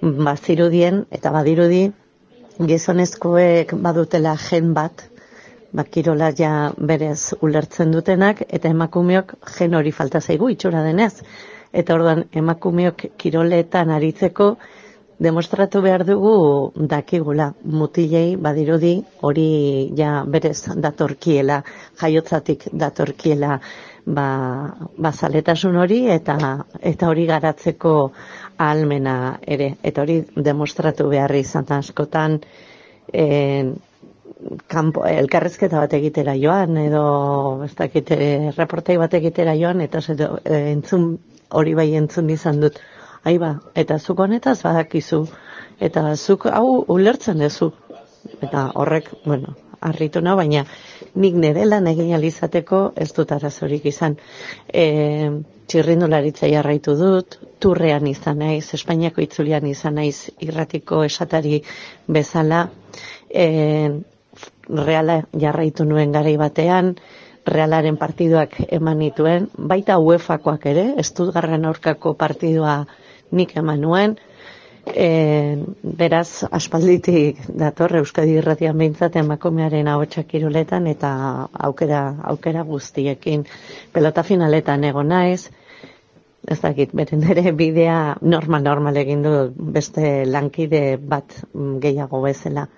Bazirudien, eta badirudi, gizonezkoek badutela gen bat, kirola ja berez ulertzen dutenak, eta emakumeok gen hori falta zaigu itxura denez. Eta orduan emakumeok kiroletan aritzeko demostratu behar dugu dakigula. Mutilei badirudi hori ja berez datorkiela, jaiotzatik datorkiela zaletasun hori, eta hori garatzeko ahalmena ere. Eta hori demostratu behar izan askotan elkarrezketa bat egitera joan, edo ez dakit, reportai bat egitera joan, eta entzun hori bai entzun izan dut. Eta zuk honetaz badakizu, eta zuk hau ulertzen duzu. Eta horrek, harritu nau, baina nik nire lan egin alizateko ez dut arazorik izan. Txirrindularitza jarraitu dut, turrean izan naiz, Espainiako itzulian izan naiz, irratiko esatari bezala, Reala jarraitu nuen garai batean, Realaren partiduak eman nituen, baita UEFA-koak ere, Stuttgarten aurkako partidua nik eman nuen, beraz aspalditik dator Euskadi Irratian behintzat emakumearen ahotsa kiroletan, eta aukera guztiekin pelota finaletan egon naiz, ez dakit, beren ere bidea normal egin du beste lankide bat gehiago bezala.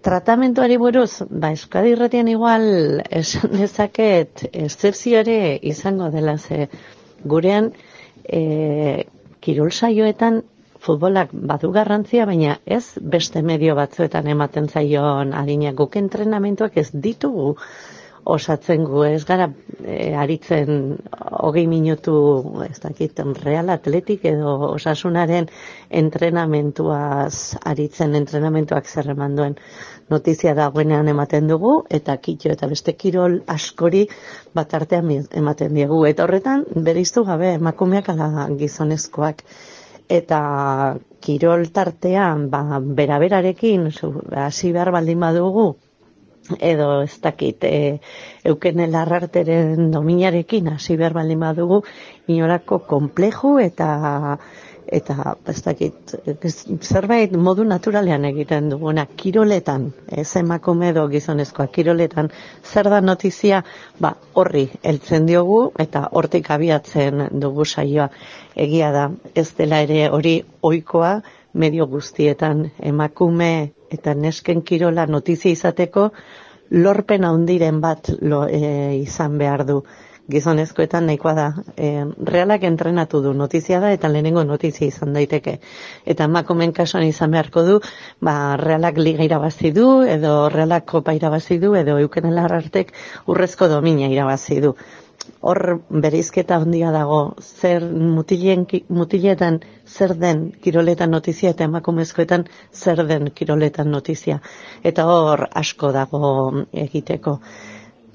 Tratamentuari buruz, Euskadi Irratian igual esan dezaket eszepzio ere izango dela, ze gurean kirol saioetan futbolak badu garrantzia, baina ez beste medio batzuetan ematen zaion adina. Guk entrenamentuak ez ditugu osatzen gu, ez gara aritzen 20 minutu, ez dakit, Real Atletik edo Osasunaren entrenamentuaz aritzen, entrenamentuak zer eman duen notizia dagoenean ematen dugu, eta kitxo eta beste kirol askori bat artean ematen diegu. Eta horretan, bereiztu gabe emakumeak ala gizonezkoak. Eta kirol tartean, beraberarekin, hasi behar baldin badugu, edo ez dakit, Eukene Larrarteren dominarekin hasi behar baldin badugu, inolako konpleju eta eta ez dakit, zerbait modu naturalean egiten duguna, kiroletan, ez emakume edo gizonezkoa, kiroletan, zer da notizia, horri heltzen diogu eta hortik abiatzen dugu saioa. Egia da, ez dela ere hori ohikoa medio guztietan, emakume eta nesken kirola notizia izateko lorpen handiren bat izan behar du. Gizonezkoetan nahikoa da, realak entrenatu du notizia da eta lehenengo notizia izan daiteke. Eta emakumeen kasuan izan beharko du, realak liga irabazi du, edo realak kopa irabazi du, edo Euken Alarrartek urrezko domina irabazi du. Hor bereizketa handia dago, zer mutiletan zer den kiroletan notizia eta emakumezkoetan zer den kiroletan notizia. Eta hor asko dago egiteko.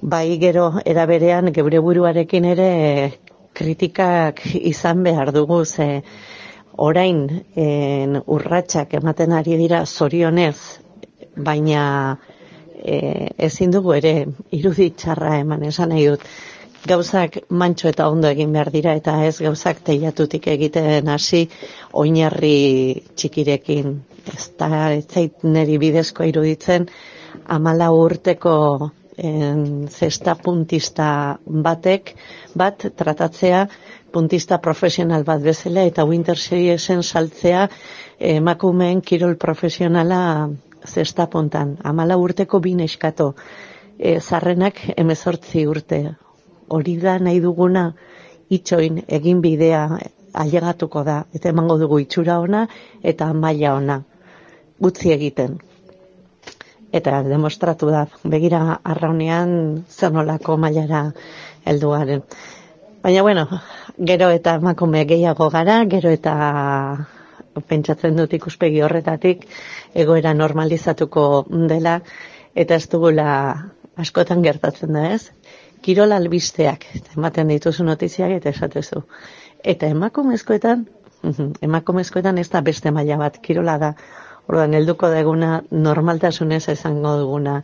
Bai gero eraberean geure buruarekin ere kritikak izan behar dugu, ze orain urratsak ematen ari dira zorionez, baina ezin dugu ere irudi txarra eman, esan nahi dut. Gauzak mantxo eta ondo egin behar dira eta ez gauzak teilatutik egiten hasi oinarri txikirekin. Ez zait neri bidezko iruditzen 14 urteko zesta puntista bat tratatzea puntista profesional bat bezala eta Winter Seriesen saltzea emakumeen kirol profesionala zesta puntan. 14 urteko 2 neskato, zarrenak 18 urte. Hori da nahi duguna itxoin egin bidea ailegatuko da eta emango dugu itxura ona eta maila ona. Utzi egiten. Eta demostratu da, begira arraunean zer nolako mailara helduaren. Baina bueno, gero eta emakume gehiago gara, gero eta pentsatzen dut ikuspegi horretatik egoera normalizatuko dela eta ez dugula askotan gertatzen da, ez? Kirol albisteak, ematen dituzu notiziak eta esatezu. Eta emakumezkoetan ez da beste maila bat, kirola da. Orduan, helduko deguna normaltasunez esango duguna.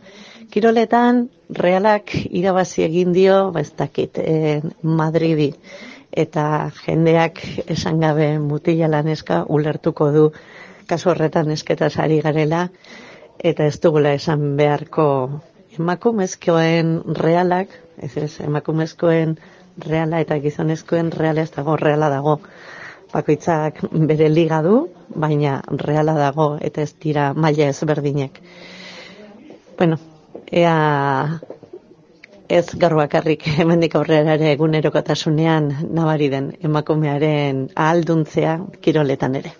Kiroletan, realak irabazi egin dio, ez dakit, Madridi. Eta jendeak esan gabe mutila laneska ulertuko du kasu horretan esketaz ari garela, eta ez dugula esan beharko emakumezkoen realak, emakumezkoen reala eta gizonezkoen reala ez dago, reala dago. Bakoitzak bere liga du, baina reala dago eta ez dira maila ezberdinek. Bueno, ea ez gaur bakarrik hemendik aurrera ere egunerokotasunean nabari den emakumearen ahalduntzea kiroletan ere.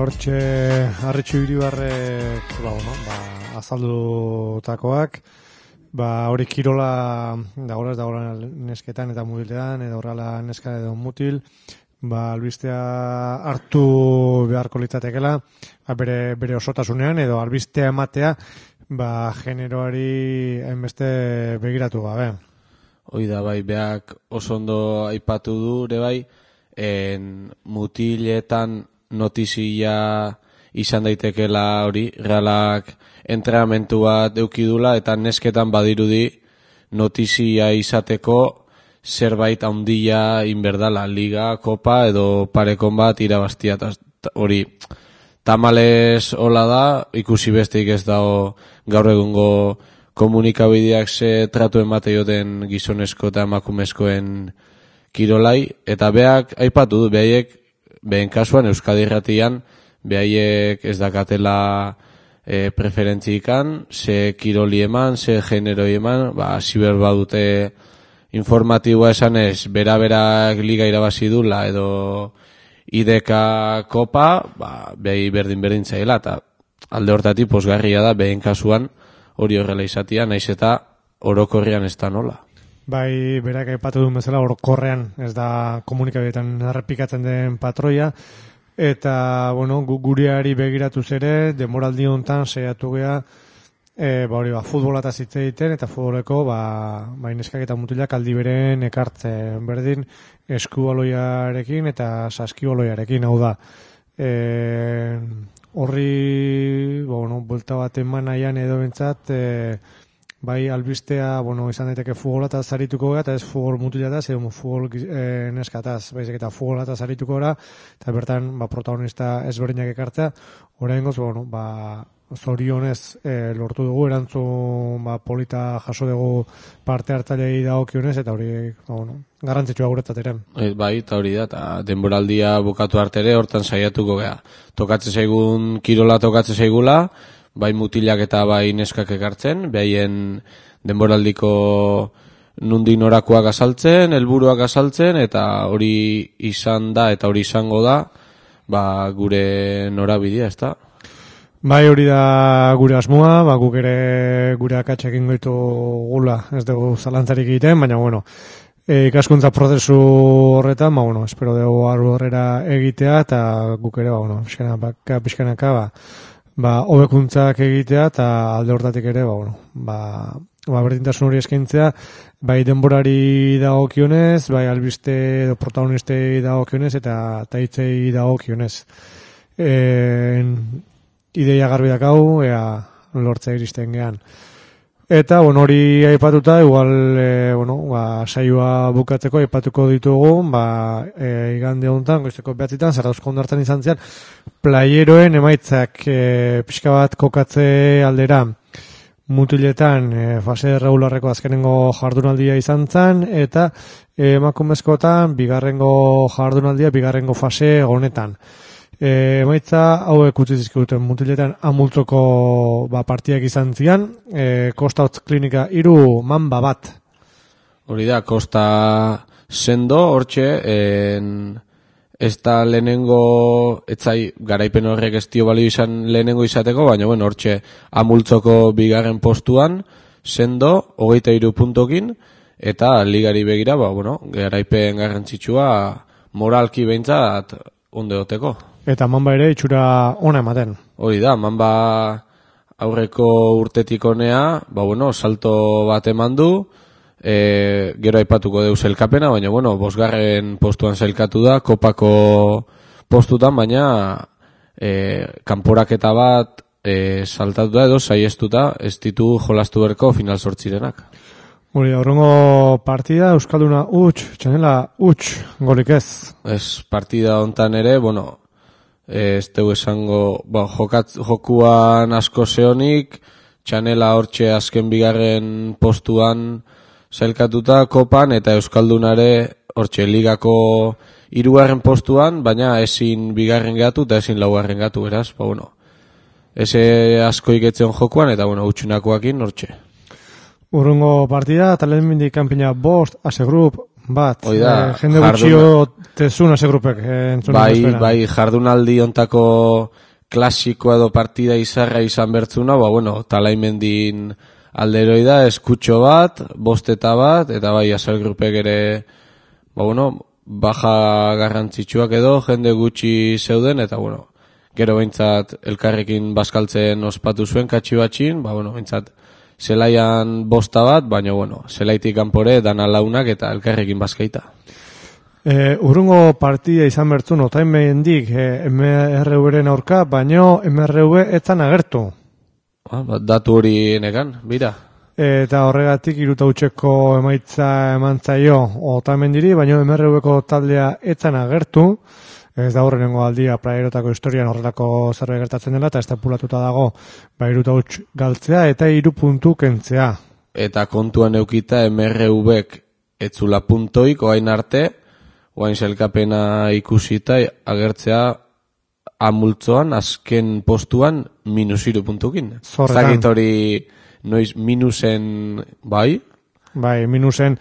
Hortxe, Arritxu Iribarrek azaldutakoak, hori kirola dagoela nesketan eta mutiletan, edo horrela neska edo mutil, albistea hartu beharko litzatekela, bere osotasunean, edo albistea ematea, generoari hainbeste begiratu gabe. Hoi da, beak oso ondo aipatu du, ere mutiletan notizia izan daitekela hori, realak entrenamentu bat eukidula eta nesketan badirudi notizia izateko zerbait handia inberdala, liga, kopa edo parekon bat irabaztia. Hori, tamales hola da, ikusi besteik ez dago gaur egungo komunikabideak ze tratu emate joten gizonezko eta emakumezkoen kirolai, eta beak aipatu du, behen kasuan Euskadi Irratian behaiek ez dakatela preferentzikan, ze kiroli eman, ze generoi eman, ziber badute informatiboa esanez, bera-berak liga irabazi dula edo IDK kopa, behi berdin zaila, eta alde hortatik posgarria da, behen kasuan hori horrela izatia, naiz eta orokorrean ez da nola. Berak aipatu duen bezala orokorrean ez da komunikabideetan errepikatzen den patroia, eta gureari begiratuz ere, demoraldi honetan saiatu gea ba hori futbolata hitz egiten eta futboleko neskak eta mutilak aldi beren ekartzen berdin eskubaloiarekin eta saskibaloiarekin, hau da. Horri, buelta bat eman nahian edo bentsat, bai albistea, izan daiteke futbolataz zarituko gara, eta ez futbol mutilataz, edo futbol neskataz, baizik eta futbolataz zarituko gara, eta bertan, protagonista ezberdinak ekartzea, oraingoz, zorionez lortu dugu, erantzun polita jaso dugu parte hartzailei dagokionez, eta hori, garrantzitsua guretzat ere. Bai, eta hori da, eta denboraldia bukatu artere, hortan saiatuko gea. Tokatzen zaigun kirola tokatzen zaigula, bai mutilak eta bai neskak ekartzen, behaien denboraldiko nundik norakoak azaltzen, helburuak azaltzen, eta hori izan da, eta hori izango da, gure norabidea, ez da? Bai, hori da gure asmoa, guk ere gure akatsak egingo ditugula, ez dugu zalantzarik egiten, baina ikaskuntza prozesu horretan, espero dugu horrera egitea, eta guk ere, pixkanaka, hobekuntzak egitea, eta alde hortatik ere, berdintasun hori eskaintzea, bai denborari dagokionez, bai albiste edo protagonistei dagokionez, eta hitzei dagokionez. Ideia garbi dakau, lortzea iristen gean. Eta, hori aipatuta, igual, saioa bukatzeko aipatuko ditugu, igande honetan, goizeko 9:00, Zarauzko hondartzan izan zian, playeroen emaitzak pixka bat kokatze aldera, mutiletan, fase regularreko azkenengo jardunaldia izan zen, eta emakumezkotan, bigarrengo jardunaldia, bigarrengo fase honetan. Emaitza hauek utzi zizkiguten mutiletan amultzoko partiak izan zian, Kosta Hotz Klinika 3, Mamba 1. Hori da, Kosta sendo, hortxe, ez da lehenengo, etzai garaipen horrek ez dio balio izan lehenengo izateko, baina hortxe amultzoko bigarren postuan, sendo, 23 puntokin, eta ligari begira, garaipen garrantzitsua moralki behintzat onde oteko. Eta Mamba ere itxura ona ematen. Hori da, Mamba aurreko urtetik onea, salto bat eman du, gero aipatuko deuz sailkapena, baina, 5. postuan sailkatu da, kopako postutan, baina kanporaketa bat saltatu da edo saiestuta, ez ditu jolastu berko final 8-renak. Hori, aurrengo partida, Euskalduna Txanela golik ez. Ez, partida hontan ere, ez dugu esango, jokuan asko zehonik, Txanela hortxe azken bigarren postuan sailkatuta kopan, eta Euskaldunare hortxe ligako 3. postuan, baina ezin bigarren gatu eta ezin 4. gatu, beraz, eze asko iketzen jokuan, eta utxunakoakin hortxe. Urrungo partida, talen mindik kanpina 5, asegrup bat. Oida, jende gutxio tezun asegrupek. Bai, jardunaldi ontako klasikoa edo partida izarra izan bertzuna, talaimendin alderoi da, eskutxo bat, 5 bat, eta bai, asegrupek ere, baja garrantzitsuak edo, jende gutxi zeuden, eta gero behintzat elkarrekin bazkaltzen ospatu zuen katxi batxin, behintzat zelaian 5 bat, baina zelaitik kanpore dana launak eta elkarrekin bazkaita. Urrungo partida izan bertzun otain behendik MRV-ren aurka, baina MRV etzan agertu. Datu hori nekan, bira. Eta horregatik 3-0 emaitza emantzaio otain mendiri, baina MRV-ko taldea etzan agertu. Ez da horrengo aldia plaierotako historian horrelako zerbait gertatzen dela, eta estapulatuta dago 3-0 galtzea eta 3 puntu kentzea. Eta kontuan eukita MRV-ek etzula puntoik, oain arte, oain sailkapena ikusita agertzea amultzoan, azken postuan, -3 puntukin. Zagit hori noiz minusen, bai? Bai, minusen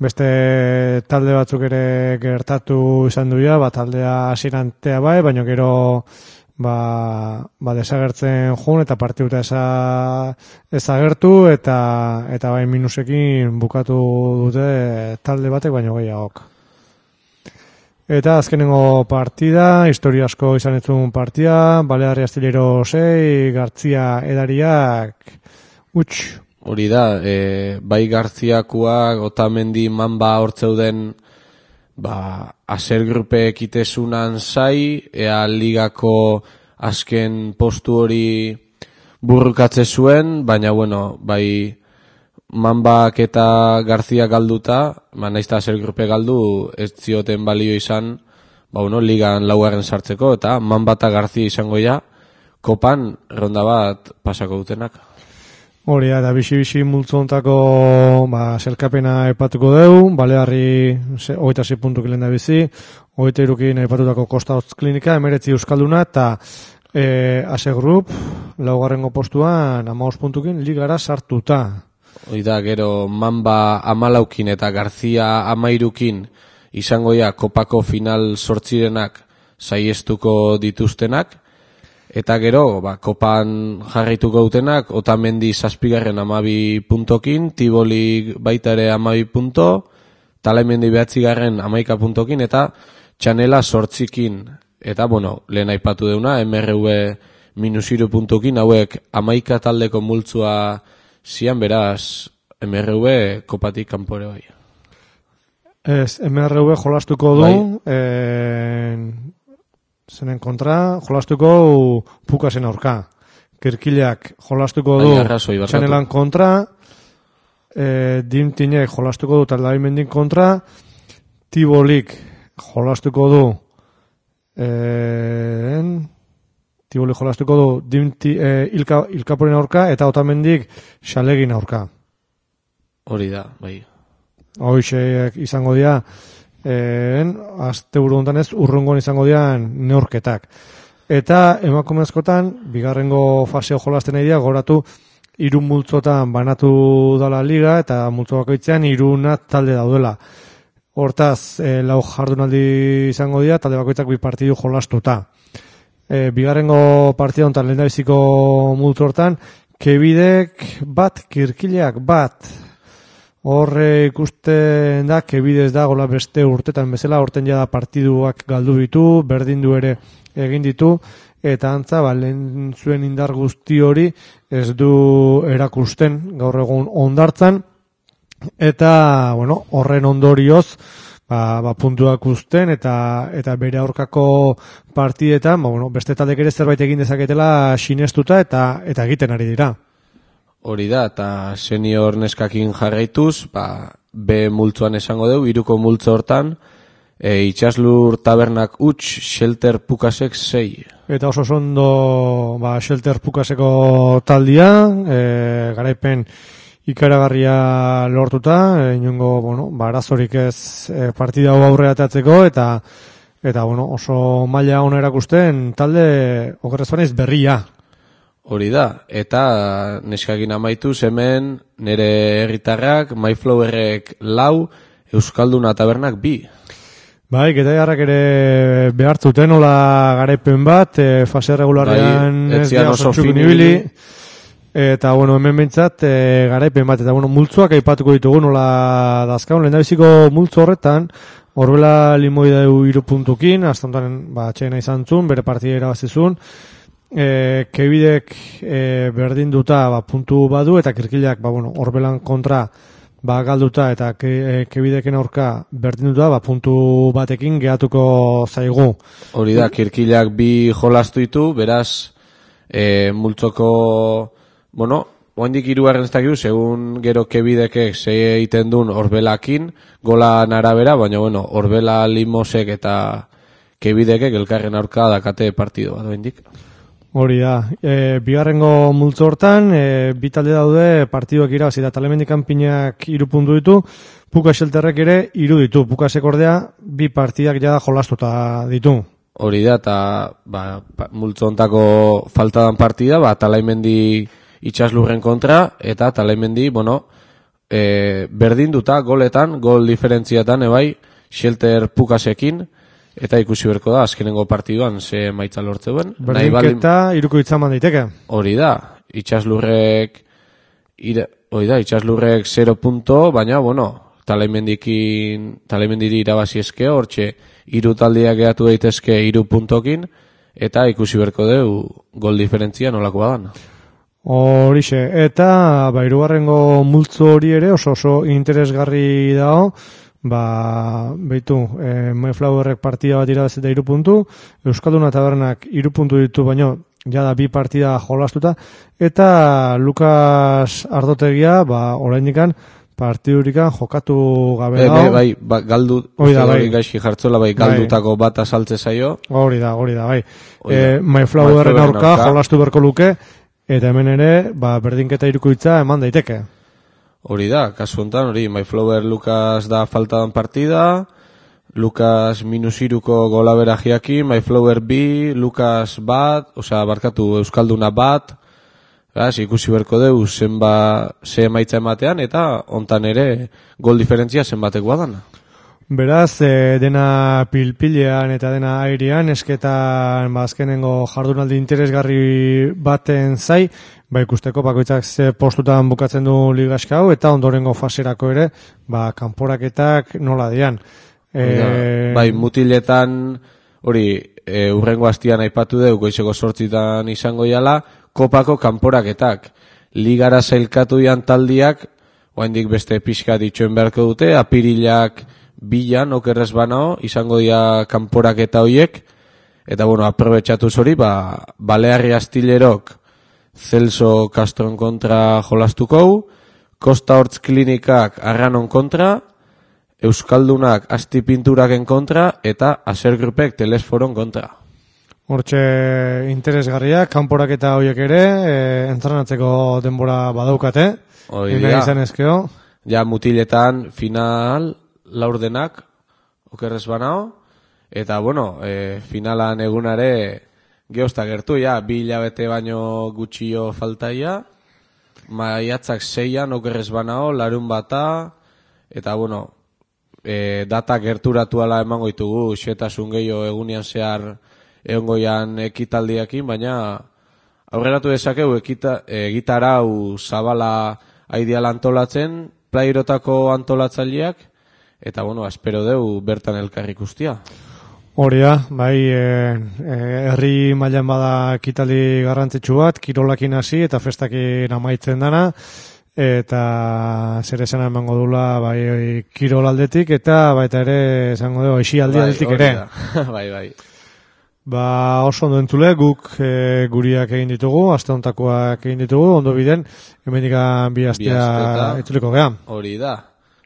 beste talde batzuk ere gertatu izan duia, taldea hasirantea bai, baina gero desagertzen joan eta partiduta ezagertu eta bai minusekin bukatu dute talde batek baino gehiagok. Eta azkenengo partida, historia asko izan etzun partida, Balearri Astillero 6, Gartzia Edariak Hori da, bai Garziakoak, Otamendi, Mamba hortzeuden, aser grupe ekitezunan zai, ea ligako azken postu hori burrukatze zuen, baina bueno, bai Mambak eta Garzia galduta, naizta aser grupe galdu, ez zioten balio izan, ligan laugarren sartzeko, eta Mamba eta Garzia izango ja, kopan ronda bat pasako dutenak. Hori da, bixi multzontako selkapena epatuko deu, Balearri 26 puntuk lehen da bizi, 23 epatutako Kosta Hotz Klinika, 19 Euskalduna, eta Ase Group, laugarrengo postuan 15 puntukin ligara sartuta. Hori da, gero Mamba 14 eta Garzia 13 izango ja kopako final sortzirenak saiestuko dituztenak, eta gero, kopan jarraituko dutenak, Otamendi 7garren 12 puntokin, Tiboli baita ere 12 punto, Talaimendi 9garren 11 puntokin, eta Txanela 8kin. Eta, lehen aipatu deuna, MRV -3 puntokin, hauek 11 taldeko multzua zian, beraz, MRV kopatik kanpore bai. Ez, MRV jolastuko du, zenen kontra, jolastuko Pukasen aurka. Kirkileak jolastuko du Txanelan kontra, Dimtinek jolastuko du Taldaimendin kontra, Tibolik jolastuko du Ilkaporen aurka, eta Otamendik Xalegin aurka. Hori da, bai. Hoixek izango dira, asteburu hontan ez, urrungoan izango dira neurketak. Eta emakumezkotan, bigarrengo faseo jolasten nahi dira, goratu 3 multzotan banatu dala liga, eta multzo bakoitzean 3 talde daudela. Hortaz, 4 jardunaldi izango dira, talde bakoitzak 2 partidu jolastuta. Bigarrengo partida honetan lehendabiziko multzo hortan, Kebidek bat, Kirkileak bat. Horre ikusten da, Kebidez da gola beste urtetan bezala, horten jada partiduak galdu ditu, berdindu ere egin ditu, eta antza, lehen zuen indar guzti hori ez du erakusten gaur egun ondartzan, eta, horren ondorioz, puntuak uzten, eta bere aurkako partidetan, beste taldek ere zerbait egin dezaketela sinestuta, eta egiten ari dira. Hori da, eta senior neskakin jarraituz, B multzoan esango dugu, 3ko multzo hortan, Itxaslur Tabernak huts, Shelter Pukasek 6. Eta oso ondo Shelter Pukaseko taldia, garaipen ikaragarria lortuta, inongo, arazorik ez partida hau aurre atatzeko, eta oso maila ona erakusten talde okerrezbanez berria. Hori da, eta neskakin amaituz hemen nire herritarrak, MyFlowerrek 4, Euskalduna Tabernak 2. Bai, Getaiarrak ere behartzuten hola garaipen bat, fase regularrean ez dira oso txukin eta hemen behintzat garaipen bat, eta multzoak aipatuko ditugu nola dazkaun, lehendabiziko multzo horretan, Orbela Limoida 3 puntukin, astantan atxena izan zuen, bere partida irabazizun, Kebidek berdinduta puntu badu, eta Kirkileak Orbelan kontra galduta, eta Kebideken aurka berdinduta puntu batekin gehatuko zaigu. Hori da, Kirkileak 2 jolastu ditu, beraz multzoko oindik 3 ez dakigu, segun gero Kebidekek ze egiten duen Orbelakin, golan arabera, baina Orbela Limosek eta Kebidekek elkarren aurka dakate partido bat oindik. Hori da, bigarrengo multzo hortan, 2 talde daude partiduak irabazi da Talaimendi Kanpinak 3 puntu ditu, Puka Shelterrek ere 3 ditu, Pukasek ordea 2 partidak jada jolastuta ditu. Hori da, eta multzo hontako faltadan partida, Talaimendi Itxaslurren kontra, eta Talaimendi, berdinduta goletan, gol diferentziatan ebai, Shelter Pukasekin, eta ikusi berko da, azkenengo partiduan ze emaitza lortzeuen. Berdinketa, 3 itzaman daiteke. Hori da, Itxaslurrek 0 punto, baina, Talaimendiri irabazi eske, hortxe, 3 taldeak gehatu daitezke 3 puntokin, eta ikusi berko deu gol diferentzia nolako badan. Horixe, eta hirugarrengo multzo hori ere oso interesgarri dago, beitu, Mayflowerrek partida bat irabazita 3 puntu, Euskalduna Tabernak 3 puntu ditu, baino, jada 2 partida jolastuta, eta Lukas Ardotegia, oraindikan, partidurikan jokatu gabe dago. Bai, galdu, gaizki jartzola, galdutako bat asaltze zaio. Hori da, bai. Mayflowerren aurka jolastu berko luke, eta hemen ere, berdinketa irukoitza eman daiteke. Hori da, kasu honetan, Mayflower Lukas da faltadan partida, Lukas -3ko golaberajiaki, Mayflower 2, Lukas bat, barkatu Euskalduna bat, ikusi berko deu ze emaitza ematean, eta hontan ere gol diferentzia zenbatekoa dana. Beraz, dena pilpilean eta dena airean, esketan azkenengo jardunaldi interesgarri baten zai, ikusteko bakoitzak ze postutan bukatzen du ligaska hau, eta ondorengo faserako ere, kanporaketak nola dian. Mutiletan, urrengo hastian aipatu deu, goizeko 8 izango jala, kopako kanporaketak. Ligara zailkatu dian taldiak, oaindik beste pixka ditxoen beharko dute, apirilak 2 okerrez banao, izango dira kanporaketa hoiek, eta aprobetxatuz hori, Balearri Astilerok Celso Castron kontra jolastuko, Costa Hortz Klinikak Arranon kontra, Euskaldunak Asti Pinturaken kontra, eta Aser Grupek Telesforon kontra. Hortxe interesgarriak, kanporaketa horiek ere, entrenatzeko denbora badaukate, izan ezkeo. Ja, mutiletan final laurdenak, okerrez banao, eta, finalan egunare geozta gertu, 2 hilabete baino gutxio faltaia, maiatzak 6an okerrez banao, larun bata, eta, data gerturatu ala emango ditugu, xetasun gehiago egunian zehar egongoian ekitaldiakin, baina aurreratu dezakegu egitarau zabala aidiala antolatzen, plairotako antolatzaileak, eta espero deu bertan elkarri ikustia. Hori da, herri mailan bada ekitaldi garrantzitsu bat, kirolakin hasi eta festakin amaitzen dana, eta zer esana emango dula kirol aldetik, eta baita ere esango dugu aixi aldetik ere. Bai. Oso ondo entzule, guk guriak egin ditugu, aste hontakoak egin ditugu, ondo biden, hemendikan 2 astea itzuliko geha. Hori da,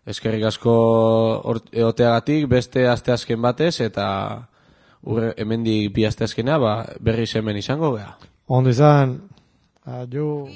eskerrik asko eoteagatik, beste asteazken batez, eta hemendik 2 asteazkena berriz hemen izango geha. Ondo izan, adio.